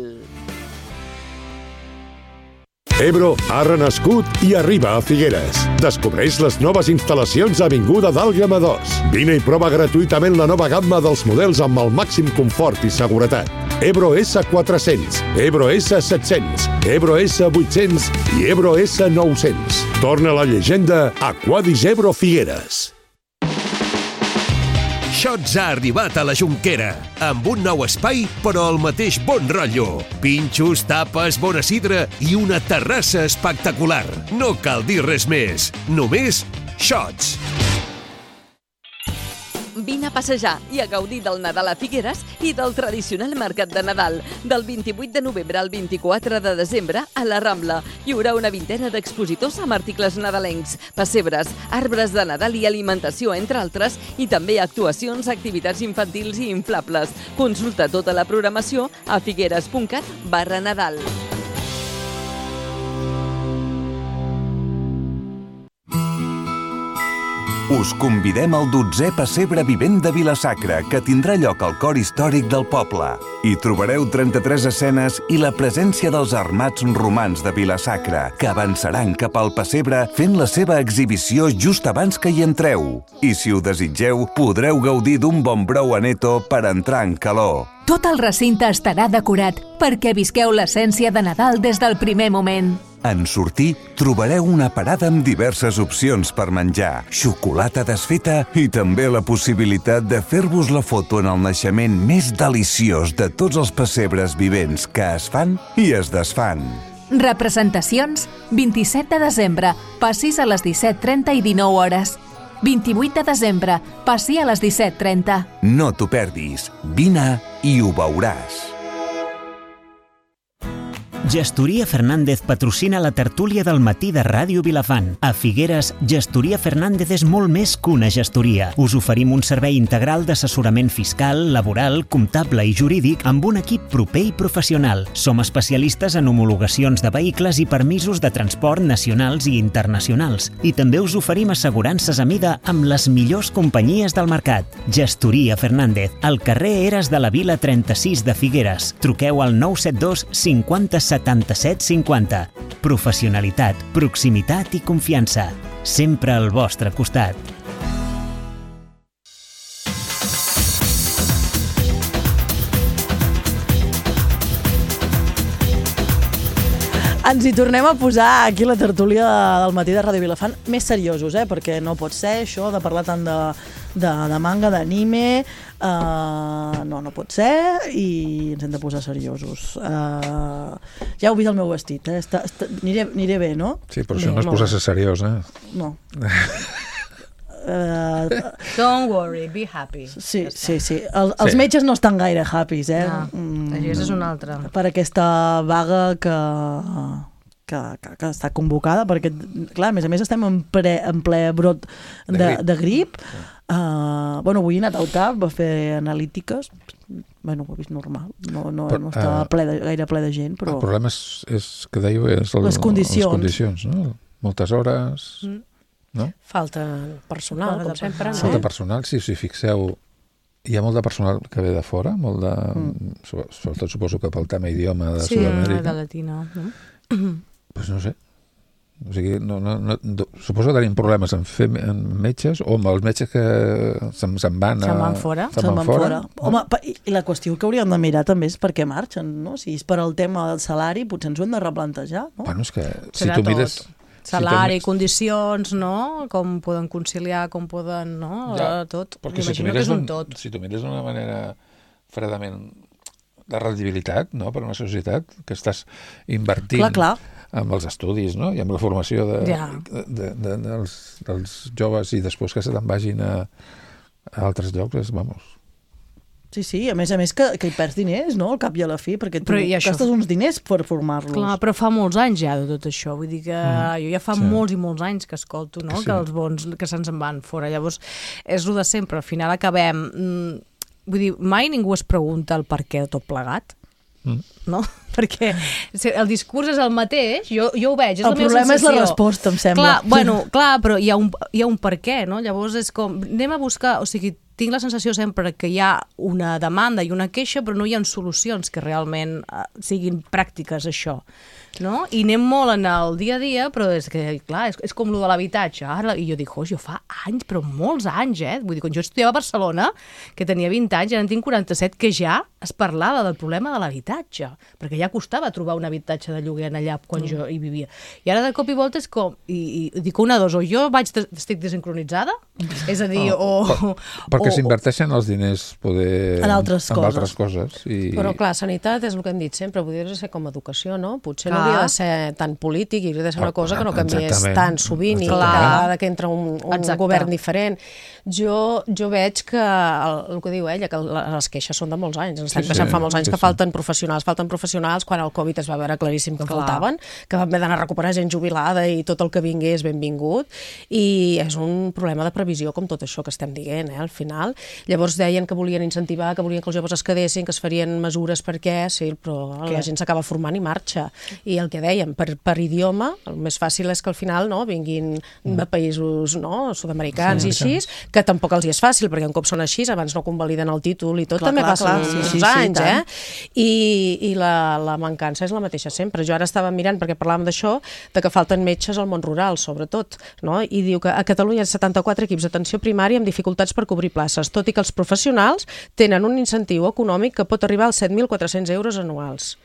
Ebro ha renascut i arriba a Figueres. Descobreix les noves instal·lacions a Avinguda d'Àlgama dos. Vine i prova gratuïtament la nova gamma dels models amb el màxim confort i seguretat. Ebro esse quatre-cents, Ebro esse set-cents, Ebro esse vuit-cents i Ebro esse nou-cents. Torna la llegenda a Quadis Ebro Figueres. Shots ha arribat a la Jonquera, amb un nou espai, però el mateix bon rotllo. Pinxos, tapes, bona sidra i una terrassa espectacular. No cal dir res més, només Shots. Vine a passejar i a gaudir del Nadal a Figueres i del tradicional mercat de Nadal. Del vint-i-vuit de novembre al vint-i-quatre de desembre a la Rambla. Hi haurà una vintena d'expositors amb articles nadalencs, pessebres, arbres de Nadal i alimentació, entre altres, i també actuacions, activitats infantils i inflables. Consulta tota la programació a figueres.cat barra Nadal. Us convidem al dotzè Pessebre Vivent de Vila-sacra, que tindrà lloc al cor històric del poble. Hi trobareu trenta-tres escenes i la presència dels armats romans de Vila-sacra, que avançaran cap al pessebre fent la seva exhibició just abans que hi entreu. I si ho desitgeu, podreu gaudir d'un bon brou aneto per entrar en calor. Tot el recinte estarà decorat perquè visqueu l'essència de Nadal des del primer moment. En sortir, trobareu una parada amb diverses opcions per menjar, xocolata desfeta i també la possibilitat de fer-vos la foto en el naixement més deliciós de tots els pessebres vivents que es fan i es desfan. Representacions, vint-i-set de desembre, passis a les disset trenta i dinou hores. vint-i-vuit de desembre, passi a les disset trenta. No t'ho perdis, vine i ho veuràs. Gestoria Fernández patrocina la tertúlia del matí de Ràdio Vilafant. A Figueres, Gestoria Fernández és molt més que una gestoria. Us oferim un servei integral d'assessorament fiscal, laboral, comptable i jurídic amb un equip proper i professional. Som especialistes en homologacions de vehicles i permisos de transport nacionals i internacionals. I també us oferim assegurances a mida amb les millors companyies del mercat. Gestoria Fernández, al carrer Eres de la Vila trenta-sis de Figueres. Truqueu al nou set dos cinquanta setanta-set cinquanta. Professionalitat, proximitat i confiança. Sempre al vostre costat. Ens hi tornem a posar aquí la tertúlia del matí de Ràdio Vilafant més seriosos, eh? Perquè no pot ser això de parlar tant de, de, de manga, d'anime, uh, no, no pot ser, i ens hem de posar seriosos. Uh, ja heu vist el meu vestit, eh? Està, està, aniré, aniré bé, no? Sí, però això no és posar-se seriós, eh? No. Uh, Don't worry, be happy. Sí, sí, sí. El, els sí. metges no estan gaire happys, eh? No, mm, això és una altra. Per aquesta vaga que, que, que, que està convocada, perquè, clar, a més a més estem en, pre, en ple brot de, de grip. De grip. Sí. Uh, bueno, avui he anat al cap a fer analítiques. Bueno, ho he vist normal. No, no, però, no estava uh, ple de, gaire ple de gent, però... El problema és, és que dèieu, és el, les condicions. Les condicions, no? Moltes hores... Mm. No? Falta personal, Falta com sempre. Falta no? personal, sí, si fixeu, hi ha molt de personal que ve de fora, molt de... Mm. Sobretot suposo que pel tema idioma de sí, Sud-amèrica. Sí, de latina. No? Pues no sé. O sigui, no, no, no, suposo que tenim problemes en fer en metges o amb els metges que se'n se van a... Se'n van fora. Se'n van fora. fora. Home, i la qüestió que hauríem de mirar també és per què marxen, no? Si és per al tema del salari, potser ens ho hem de replantejar, no? Bueno, és que si Serà tu mires... Tot. Salari, si condicions, no? Com poden conciliar, com poden, no? Ja, tot. M'imagino si que és un tot. Si tu mires d'una manera fredament de rendibilitat, no?, per una societat que estàs invertint clar, clar. amb els estudis, no?, i amb la formació de, ja. de, de, de, dels, dels joves i després que se te'n vagin a, a altres llocs, és, vamos... Sí, sí, a més a més que, que hi perds diners, no?, al cap i a la fi, perquè tu això... gastes uns diners per formar-los. Clar, però fa molts anys ja de tot això, vull dir que mm. jo ja fa sí. molts i molts anys que escolto, no?, que, sí. que els bons que se'ns en van fora. Llavors, és el de sempre, al final acabem... Vull dir, mai ningú es pregunta el per què de tot plegat. Mm. No? Perquè el discurs és el mateix, jo, jo ho veig, és el la meva problema sensació. és la resposta, em sembla. Clar, bueno, clar, però hi ha un, hi ha un per què, no? Llavors és com, anem a buscar, o sigui, tinc la sensació sempre que hi ha una demanda i una queixa, però no hi ha solucions que realment uh, siguin pràctiques, això. No? I anem molt en el dia a dia, però és que, clar, és, és com lo de l'habitatge. Ara, i jo dic, oh, jo fa anys, però molts anys, eh? Vull dir, quan jo estudiava a Barcelona, que tenia vint anys, ara en tinc quaranta-set, que ja es parlava del problema de l'habitatge, perquè ja costava trobar un habitatge de lloguer allà quan mm. jo hi vivia. I ara de cop i volta és com, i, i dic una dos, o jo vaig estic desincronitzada, és a dir, oh, o... Per, perquè s'inverteixen els diners poder en altres en coses. Altres coses i... Però clar, sanitat és el que hem dit sempre, podria ser com educació, no? Potser no hauria de ser tan polític i hauria de ser una cosa que no canviés Exactament. tan sovint i cada vegada que entra un, un govern diferent. Jo, jo veig que el, el que diu ella, que les queixes són de molts anys, ens estem sí, queixant sí, fa molts anys sí, que sí. falten professionals, falten professionals quan el Covid es va veure claríssim que Clar. faltaven, que vam haver d'anar a recuperar gent jubilada i tot el que vingués benvingut, i és un problema de previsió com tot això que estem dient, eh, al final. Llavors deien que volien incentivar, que volien que els joves es quedessin, que es farien mesures perquè, sí, però Què? la gent s'acaba formant i marxa. I el que dèiem, per, per idioma, el més fàcil és que al final no, vinguin de països no, sud-americans sí, i així, que tampoc els hi és fàcil, perquè un cop són així, abans no convaliden el títol i tot, clar, també clar, passen clar, uns sí, sí, anys, sí, eh? I, i la, la mancança és la mateixa sempre. Jo ara estava mirant, perquè parlàvem d'això, de que falten metges al món rural, sobretot, no? I diu que a Catalunya hi ha setanta-quatre equips d'atenció primària amb dificultats per cobrir places, tot i que els professionals tenen un incentiu econòmic que pot arribar als set mil quatre-cents euros anuals.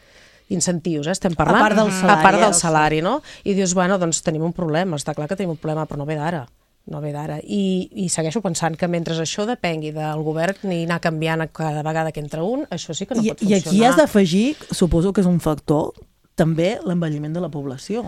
Incentius, eh? Estem parlant. A part del salari. A part del salari, no? I dius, bueno, doncs tenim un problema, està clar que tenim un problema, però no ve d'ara. No ve d'ara. I, I segueixo pensant que mentre això depengui del govern ni anar canviant cada vegada que entra un, això sí que no I, pot funcionar. I aquí has d'afegir, suposo que és un factor, també l'envelliment de la població.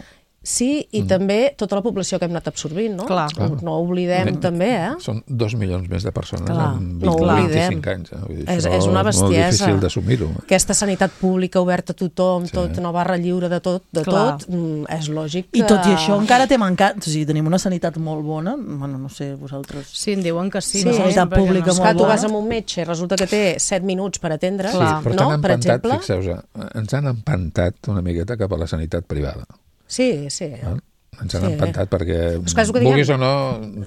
Sí, i mm. també tota la població que hem anat absorbint, no? Clar. No, no ho oblidem, mm. també, eh? Són dos milions més de persones Clar. en no vint-i-cinc anys. Eh? Vull dir, és, és una bestiesa. És molt difícil d'assumir-ho. Eh? Aquesta sanitat pública oberta a tothom, sí. tot, no barra lliure de tot, de Clar. tot, mm, és lògic que... I tot i això encara té mancat, o sigui, tenim una sanitat molt bona, bueno, no sé, vosaltres... Sí, em diuen que sí. Sí, una sanitat pública no. molt bona. Tu vas amb un metge i resulta que té set minuts per atendre, sí, però no? Per exemple. Fixeu-vos, ens han empantat una miqueta cap a la sanitat privada. Sí, sí. Val? Ens han sí. empantat perquè, que vulguis o no,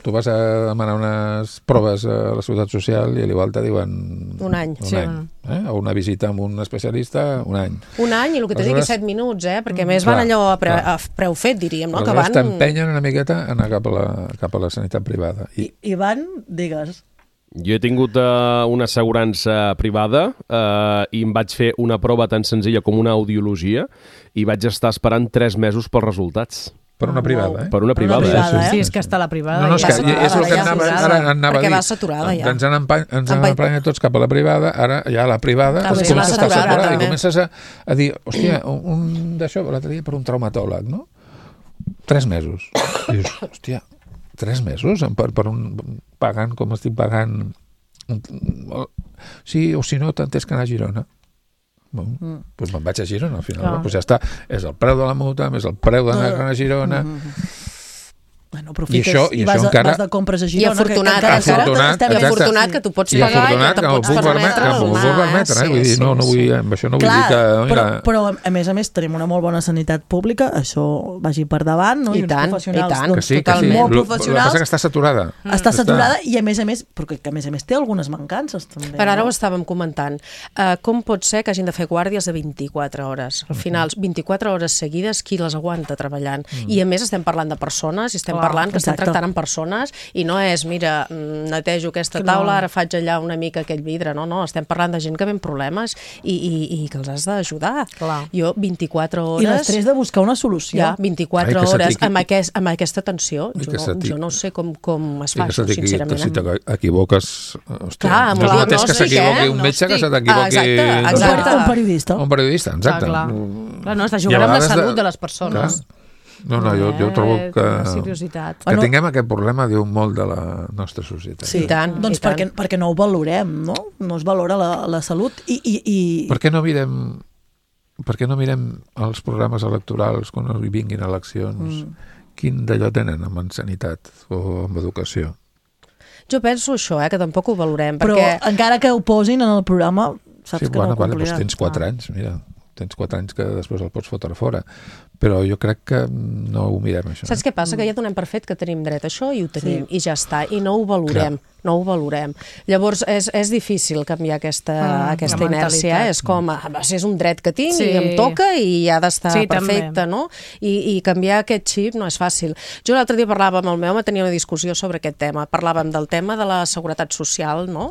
tu vas a demanar unes proves a la Seguretat Social i a l'igual te diuen... Un any. Un sí. any. Eh? O una visita amb un especialista, un any. Un any, i el que t'he dit és set minuts, eh? Perquè més clar, van allò a, pre, clar. a preu fet, diríem, no? Aleshores que van... t'empenyen una miqueta a anar cap a la, cap a la sanitat privada. I, I van, digues... Jo he tingut uh, una assegurança privada uh, i em vaig fer una prova tan senzilla com una audiologia i vaig estar esperant tres mesos pels resultats. Per una privada, eh? Per una privada, una privada eh? eh? Sí, és que està la privada. No, no, és que ja és el que ja anava, saturada, ara anava a dir. Perquè va saturada, ja. Ens han emprenyat tots cap a la privada, ara ja la privada també comença a estar saturada, saturada també. i comences a, a dir, hòstia, un, un d'això, l'altre dia per un traumatòleg, no? Tres mesos. I dius, hòstia, tres mesos? Per, per un, pagant com estic pagant... Sí, o si no, tant és que anar a Girona. Bon, mm. doncs me'n vaig a Girona al final, no. Doncs ja està, és el preu de la multa més el preu d'anar a Girona. Mm. Bueno, aprofites I això, i i vas, això a, encara... vas de compres a Girona. I afortunat, que, que, que afortunat, I afortunat que tu pots I pagar afortunat, i que te pots permetre que m'ho puc permetre, eh? Sí, Vull dir, sí, no, no vull, sí. amb això no vull Clar, dir que... Mira... Però, però, a més a més, tenim una molt bona sanitat pública, això vagi per davant, no? I, I uns tant, professionals, i tant. doncs, Que sí, que sí. totalment molt Lo, professionals. el que passa que està saturada. Mm. Està saturada i, a més a més, perquè que a més a més té algunes mancances, també. Per ara no? ho estàvem comentant. Uh, com pot ser que hagin de fer guàrdies de vint-i-quatre hores? Al final, vint-i-quatre hores seguides, qui les aguanta treballant? Mm. I a més estem parlant de persones, i estem Clar, parlant que estem exacte. tractant amb persones, i no és, mira, netejo aquesta Clar. taula, ara faig allà una mica aquell vidre, no, no, estem parlant de gent que ve amb problemes i, i, i que els has d'ajudar. Jo, vint-i-quatre hores... I l'estrès de buscar una solució. Ja, vint-i-quatre Ai, hores amb, aquest, amb aquesta tensió, I jo no, jo no sé com, com es I fa que això, sincerament. Que si t'equivoques, hòstia, Clar, no és el mateix que diagnòstic, s'equivoqui eh? un metge que Gnòstic. se t'equivoqui... Ah, exacte, exacte. Un periodista. Un periodista, exacte. Clar, clar. Clar, no, està I a jugant amb la vegades salut de- de les persones. Clar. No, no, jo, jo trobo Eh, que, una seriositat. que tinguem aquest problema diu molt de la nostra societat. Sí, I tant, doncs i tant. perquè, perquè no ho valorem, no? No es valora la, la salut i... i, i... Per què no mirem per què no mirem els programes electorals quan hi vinguin eleccions? Mm. Quin d'allò tenen amb en sanitat o amb educació? Jo penso això, eh, que tampoc ho valorem. Però perquè... encara que ho posin en el programa, saps sí, que bueno, no ho vale, compliran. doncs tens quatre anys, mira. tens quatre anys que després el pots fotre fora. Però jo crec que no ho mirem, això. Saps què passa? Que ja donem per fet que tenim dret a això i ho tenim, sí. i ja està, i no ho valorem. Clar. No ho valorem. Llavors, és, és difícil canviar aquesta, mm, aquesta inèrcia. Eh? És com, ah, és un dret que tinc, sí. i em toca i ha d'estar sí, perfecte, no? I, I canviar aquest xip no és fàcil. Jo l'altre dia parlava amb el meu home, tenia una discussió sobre aquest tema. Parlàvem del tema de la seguretat social, no?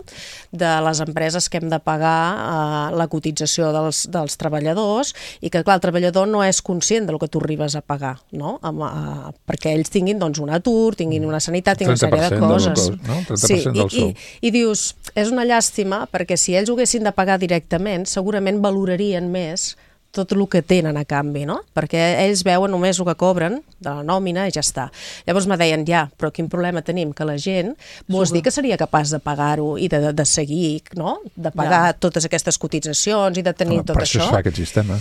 De les empreses que hem de pagar eh, la cotització dels, dels treballadors, i que, clar, el treballador no és conscient del que tu arribes a pagar, no? Amb, a, perquè ells tinguin doncs, un atur, tinguin una sanitat, tinguin una sèrie de coses. No? trenta per cent del I, i, i dius, és una llàstima perquè si ells ho haguessin de pagar directament segurament valorarien més tot el que tenen a canvi, no? Perquè ells veuen només el que cobren de la nòmina i ja està. Llavors me deien, ja, però quin problema tenim? Que la gent, vols dir que seria capaç de pagar-ho i de, de seguir, no? De pagar ja. totes aquestes cotitzacions i de tenir Home, tot per això. Per això es fa aquest sistema.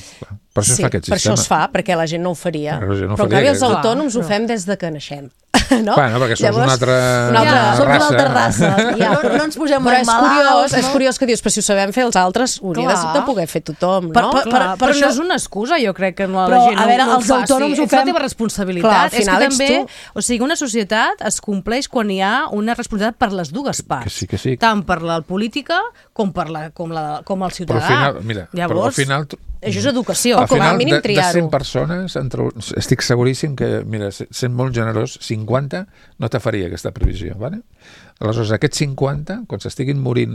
Per això sí, es fa aquest per sistema. això es fa, perquè la gent no ho faria. Però, no però faria, en canvi els que... autònoms Clar, ho fem des de que naixem. No? Bueno, perquè som Llavors, una altra, una altra ja, som raça. una altra raça. Ja, no, no ens posem però és malalts, curiós, no? és curiós que dius, però si ho sabem fer els altres, ho hauria de, de poder fer tothom, no? Per, per, per, Clar, per, per això no... és una excusa, jo crec que no, però, la gent a veure, no, no els ho faci. autònoms ho És fem... la teva responsabilitat. Clar, al final és que també, ets tu. o sigui, una societat es compleix quan hi ha una responsabilitat per les dues parts. Que sí, que sí. Tant per la política com per la, com la, com el ciutadà. Però al final, mira, Llavors, però al final... això és educació. O com a mínim de, triar-ho. de cent persones, entre, estic seguríssim que, mira, sent molt generós, cinquanta no te faria aquesta previsió, ¿vale? Aleshores, aquests cinquanta, quan s'estiguin morint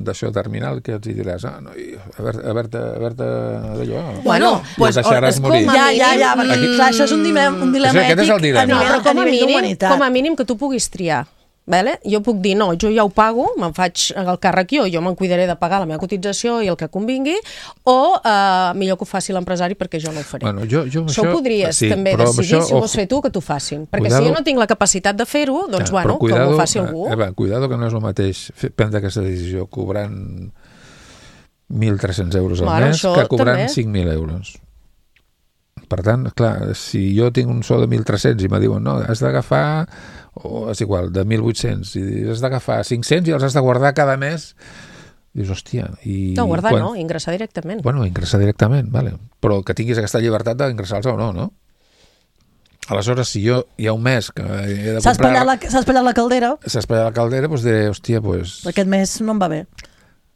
d'això terminal, que els hi diràs, ah, no, haver-te d'allò, bueno, pues, deixaràs morir. Ja, ja, ja, perquè, Mm. clar, això és un dilema, un dilema sí, ètic és el dilema. a nivell, No, però com a, a nivell mínim, d'humanitat. com a mínim que tu puguis triar. Vale? Jo puc dir, no, jo ja ho pago, me'n faig el càrrec jo, jo me'n cuidaré de pagar la meva cotització i el que convingui, o eh, millor que ho faci l'empresari perquè jo no ho faré. Bueno, jo, jo això, això ho podries sí, també decidir, això, si ho vols fer tu, que t'ho facin. Perquè cuidado, si jo no tinc la capacitat de fer-ho, doncs ja, bueno, cuidado, que ho faci algú. Eh, cuidado que no és el mateix fer, prendre aquesta decisió cobrant mil tres-cents euros al bueno, mes que cobrant també. cinc mil euros. Per tant, clar, si jo tinc un sou de mil tres-cents i me diuen, no, has d'agafar, o és igual, de mil vuit-cents, i has d'agafar cinc-cents i els has de guardar cada mes, dius, hòstia... I no, guardar quan... no, ingressar directament. Bueno, ingressar directament, vale. Però que tinguis aquesta llibertat d'ingressar-los o no, no? Aleshores, si jo hi ha un mes que he de S'ha comprar... espatllat la, s'ha espatllat la caldera. S'ha espatllat la caldera, doncs diré, hòstia, doncs... Aquest mes no em va bé.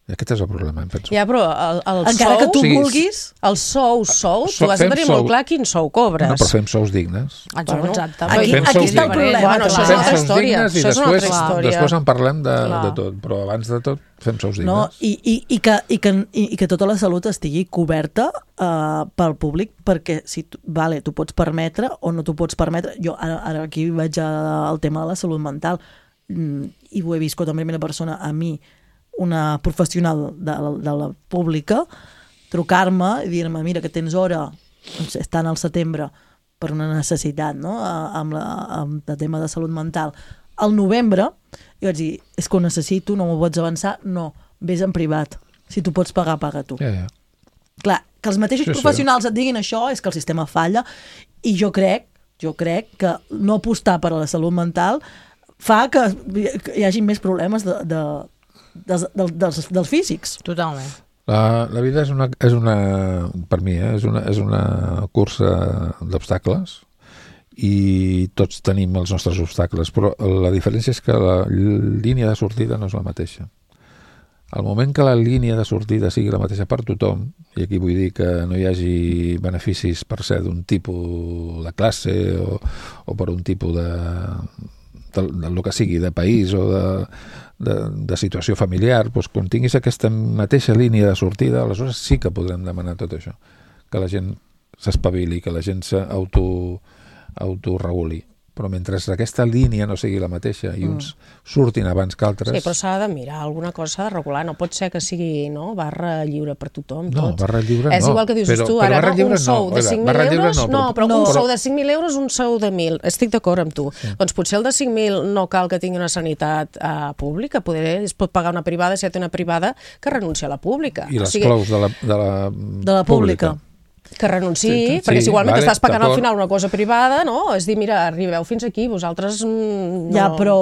Aquest és el problema, em penso. Ja, però el, el Encara sou... que tu sí, vulguis... El sou, sou, So- tu has de fem tenir sou. molt clar quin sou cobres. No, però fem sous dignes. Bueno, exacte. Aquí, Fem aquí sous està el dignes. problema. Bueno, això és clar. una altra Fem sous història. dignes i Això és una després, altra història. després en parlem de, Clar. de tot. Però abans de tot, fem sous dignes. No, i, i, i, que, i, que, i, i que tota la salut estigui coberta uh, pel públic, perquè si tu, vale, tu pots permetre o no t'ho pots permetre. Jo ara, ara aquí vaig al tema de la salut mental mm, i ho he viscut en primera persona a mi, una professional de, de la pública, trucar-me i dir-me, mira, que tens hora, estan al setembre, per una necessitat, no?, amb, la, amb el tema de salut mental. Al novembre, jo vaig dir, és que ho necessito, no m'ho pots avançar, no, vés en privat. Si tu pots pagar, paga tu. Ja, ja. Clar, que els mateixos Sí, sí. professionals et diguin això és que el sistema falla, i jo crec, jo crec que no apostar per a la salut mental fa que hi hagi més problemes de, de Dels, dels, dels físics. Totalment. La, la vida és una, és una per mi, eh, és, una, és una cursa d'obstacles i tots tenim els nostres obstacles, però la diferència és que la línia de sortida no és la mateixa. Al moment que la línia de sortida sigui la mateixa per tothom, i aquí vull dir que no hi hagi beneficis per ser d'un tipus de classe o, o per un tipus de, de, de lo que sigui, de país o de De, de situació familiar, doncs quan tinguis aquesta mateixa línia de sortida, aleshores sí que podrem demanar tot això, que la gent s'espavili, que la gent s'auto autoreguli. Però mentre aquesta línia no sigui la mateixa i uns mm. surtin abans que altres... Sí, però s'ha de mirar, alguna cosa s'ha de regular, no pot ser que sigui no, barra lliure per tothom. No, tot. barra lliure És no. igual que dius però, tu, però ara, no, un sou no. de cinc mil Barra lliure euros, no, no, però, però un però... sou de cinc mil euros, un sou de mil, estic d'acord amb tu. Sí. Doncs potser el de cinc mil no cal que tingui una sanitat uh, pública, poder, es pot pagar una privada si ja té una privada que renuncia a la pública. I les o sigui, clous de la, de la, de la pública. pública. Que renunciï, sí, sí, perquè si igualment vale, estàs pagant al final una cosa privada, no? És dir, mira, arribeu fins aquí, vosaltres... Mm, no... Ja, però...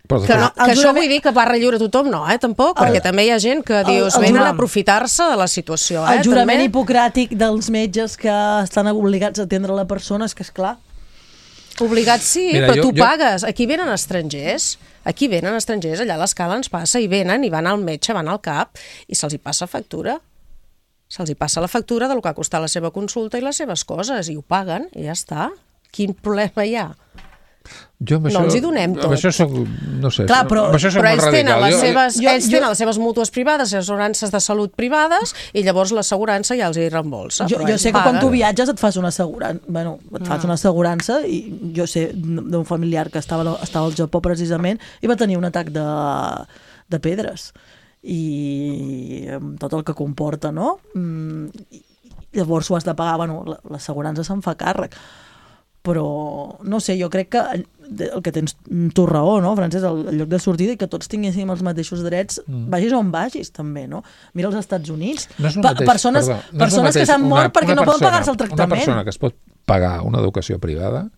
Però, Que, no, que El això jurament- vull dir que barra lliure tothom no, eh, tampoc, perquè també hi ha gent que dius, el venen a jurament- aprofitar-se de la situació, eh, El jurament també. hipocràtic dels metges que estan obligats a atendre la persona, és que és clar. Obligat sí, Mira, però jo- tu jo- pagues. Aquí venen estrangers, aquí venen estrangers, allà a l'escala ens passa, i venen i van al metge, van al CAP, i se'ls hi passa factura. Se'ls hi passa la factura del que ha costat la seva consulta i les seves coses, i ho paguen, i ja està. Quin problema hi ha? Jo amb No això, ens hi donem tot. Amb això soc, no sé, Clar, però- amb això soc Però molt ells tenen, radical. les Jo- seves, jo- ells jo- tenen les seves mútues privades, les assegurances de salut privades, i llavors l'assegurança ja els hi reembolsa. Jo, però jo ells sé que quan paguen. tu viatges et fas una assegurança, bueno, et fas una assegurança, i jo sé d'un familiar que estava, estava al Japó precisament i va tenir un atac de, de pedres, i amb tot el que comporta, no? Mm, i llavors ho has de pagar, bueno, la- l'assegurança se'n fa càrrec, però no sé, jo crec que el que tens tu raó, no, Francesc, el, el lloc de sortida, i que tots tinguéssim els mateixos drets, mm. vagis on vagis també, no? Mira els Estats Units, No és el Pa- mateix, persones, perdó, no és el persones que mateix s'han una- mort perquè una no poden persona- pagar-se el tractament. Una persona que es pot pagar una educació privada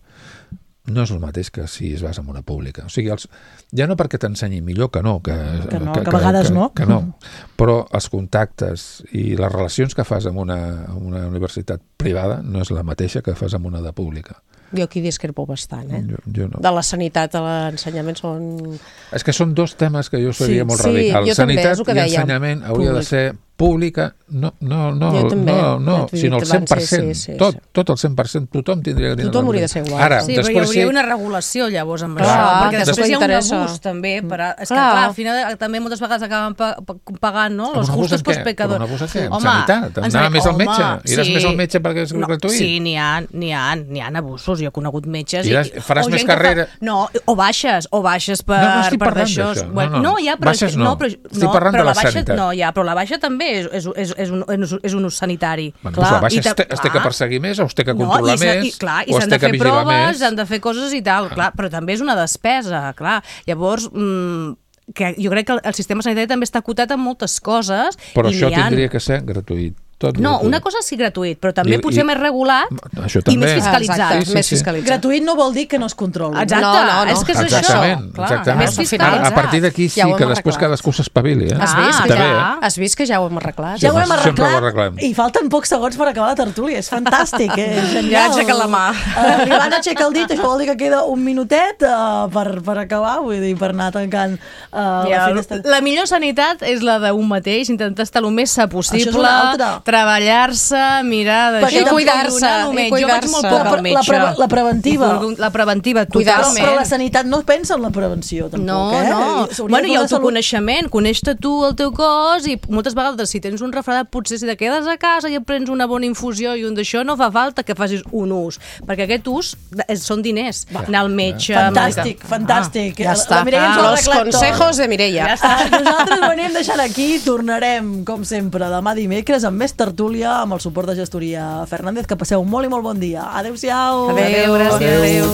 no és el mateix que si es basa en una pública. O sigui, els, ja no perquè t'ensenyi millor, que no, que, Que no, que a vegades que, no. Que no, però els contactes i les relacions que fas amb una, amb una universitat privada no és la mateixa que fas amb una de pública. Jo aquí discrepo bastant, eh? Jo, jo no. De la sanitat a l'ensenyament són... És que són dos temes que jo seria Sí, molt sí, radical. jo també, Sanitat és el que i dèiem. ensenyament hauria de Públic. ser pública, no, no, no, Jo també, no, no ja t'ho he sinó dit el cent per cent. abans, sí, sí, tot, sí. tot el cent per cent, tothom tindria que tenir Tothom la hauria de mateixa. ser igual. Ara, Sí, però hi després hauria sí, una regulació llavors amb Clar, això, perquè que després després hi ha un interessa. abús també, per a, és que Clar. clar, al final també moltes vegades acaben pa, pa, pagant, no? Amb Los un abús justos en pels què? pecadors. Però un abús en què? En Home, sanitat? en Anar sanitat, més al home, metge? Iràs sí. més al metge perquè és No, gratuït? Sí, n'hi ha, n'hi ha, n'hi ha abusos. Jo he conegut metges... Iràs- i, faràs o més gent que carrera. Fa, no, o baixes, o baixes per, No, no estic per parlant d'això. d'això. Bueno, No, no. ja, però, Baixes és que- no. no, però, Estic no, parlant però de la la baixa, sanitat. no, ja, però la baixa també és, és, és, és, un, és, és un ús sanitari. Bueno, Clar, doncs la baixa i ta- es, té, es té que clar. perseguir més o es té que No, controlar i s'ha- més i, clar, i o es s'han té de que fer vigilar proves, més. han de fer coses i tal, clar, però també és una despesa, clar. Llavors, mmm, que jo crec que el, el sistema sanitari també està acotat en moltes coses. Però i això n'hi ha- tindria que ser gratuït. Tot No, gratuït. una cosa sí gratuït, però també I- potser i- més regulat Això i també. més fiscalitzat. Exacte, Sí, sí, més sí. fiscalitzat. Gratuït no vol dir que no es controli. Exacte, No, no, no. és que és Exactament, això. Clar, exactament. més Al final, A, a fiscalitzat. partir d'aquí sí Ja ho hem que després arreglat. cadascú s'espavili. Eh? Has vist, Ah, que També, clar. ja, has vist que ja ho hem arreglat? Ja ho hem Sempre- sempre ho arreglat arreglem. i falten pocs segons per acabar la tertúlia. És fantàstic, eh? És genial. Ja aixeca la mà. Uh, L'Ivana aixeca el dit, això vol dir que queda un minutet uh, per, per acabar, vull dir, per anar tancant uh, Ja, la finestra. la millor sanitat és la d'un mateix, intentar estar el més sa possible, Això és una altra. treballar-se, mirar d'això. Perquè I cuidar-se, donar el i menys. Jo vaig molt cuidar-se. poc La- al la metge. pre- la preventiva. I La preventiva, Cuidar-se. totalment. Però la sanitat no pensa en la prevenció, tampoc, No, eh? no. S'hauria Bueno, de i fer la salut. autoconeixement, coneix-te tu el teu cos i moltes vegades si tens un refredat potser si te quedes a casa i et prens una bona infusió i un d'això no fa falta que facis un ús, perquè aquest ús és, són diners, Va. anar al metge... Fantàstic, fantàstic. Ja està. La Mireia ens ho ha Los arreglat tot. consejos de Mireia. Ja està. Ah, nosaltres ho anem deixant aquí, tornarem, com sempre, demà dimecres amb més tertúlia, amb el suport de Gestoria Fernández. Que passeu un molt i molt bon dia. Adéu-siau. Adéu, gràcies. Adéu.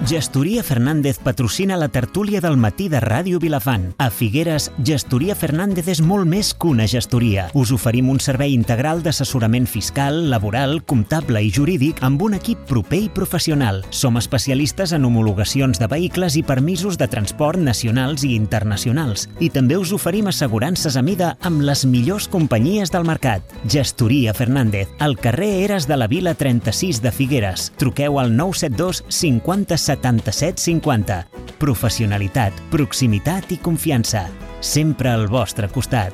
Gestoria Fernández patrocina la tertúlia del matí de Ràdio Vilafant. A Figueres, Gestoria Fernández és molt més que una gestoria. Us oferim un servei integral d'assessorament fiscal, laboral, comptable i jurídic amb un equip proper i professional. Som especialistes en homologacions de vehicles i permisos de transport nacionals i internacionals. I també us oferim assegurances a mida amb les millors companyies del mercat. Gestoria Fernández, al carrer Eres de la Vila trenta-sis de Figueres. Truqueu al nou set dos cinquanta setanta-set cinquanta. Professionalitat, proximitat i confiança. Sempre al vostre costat.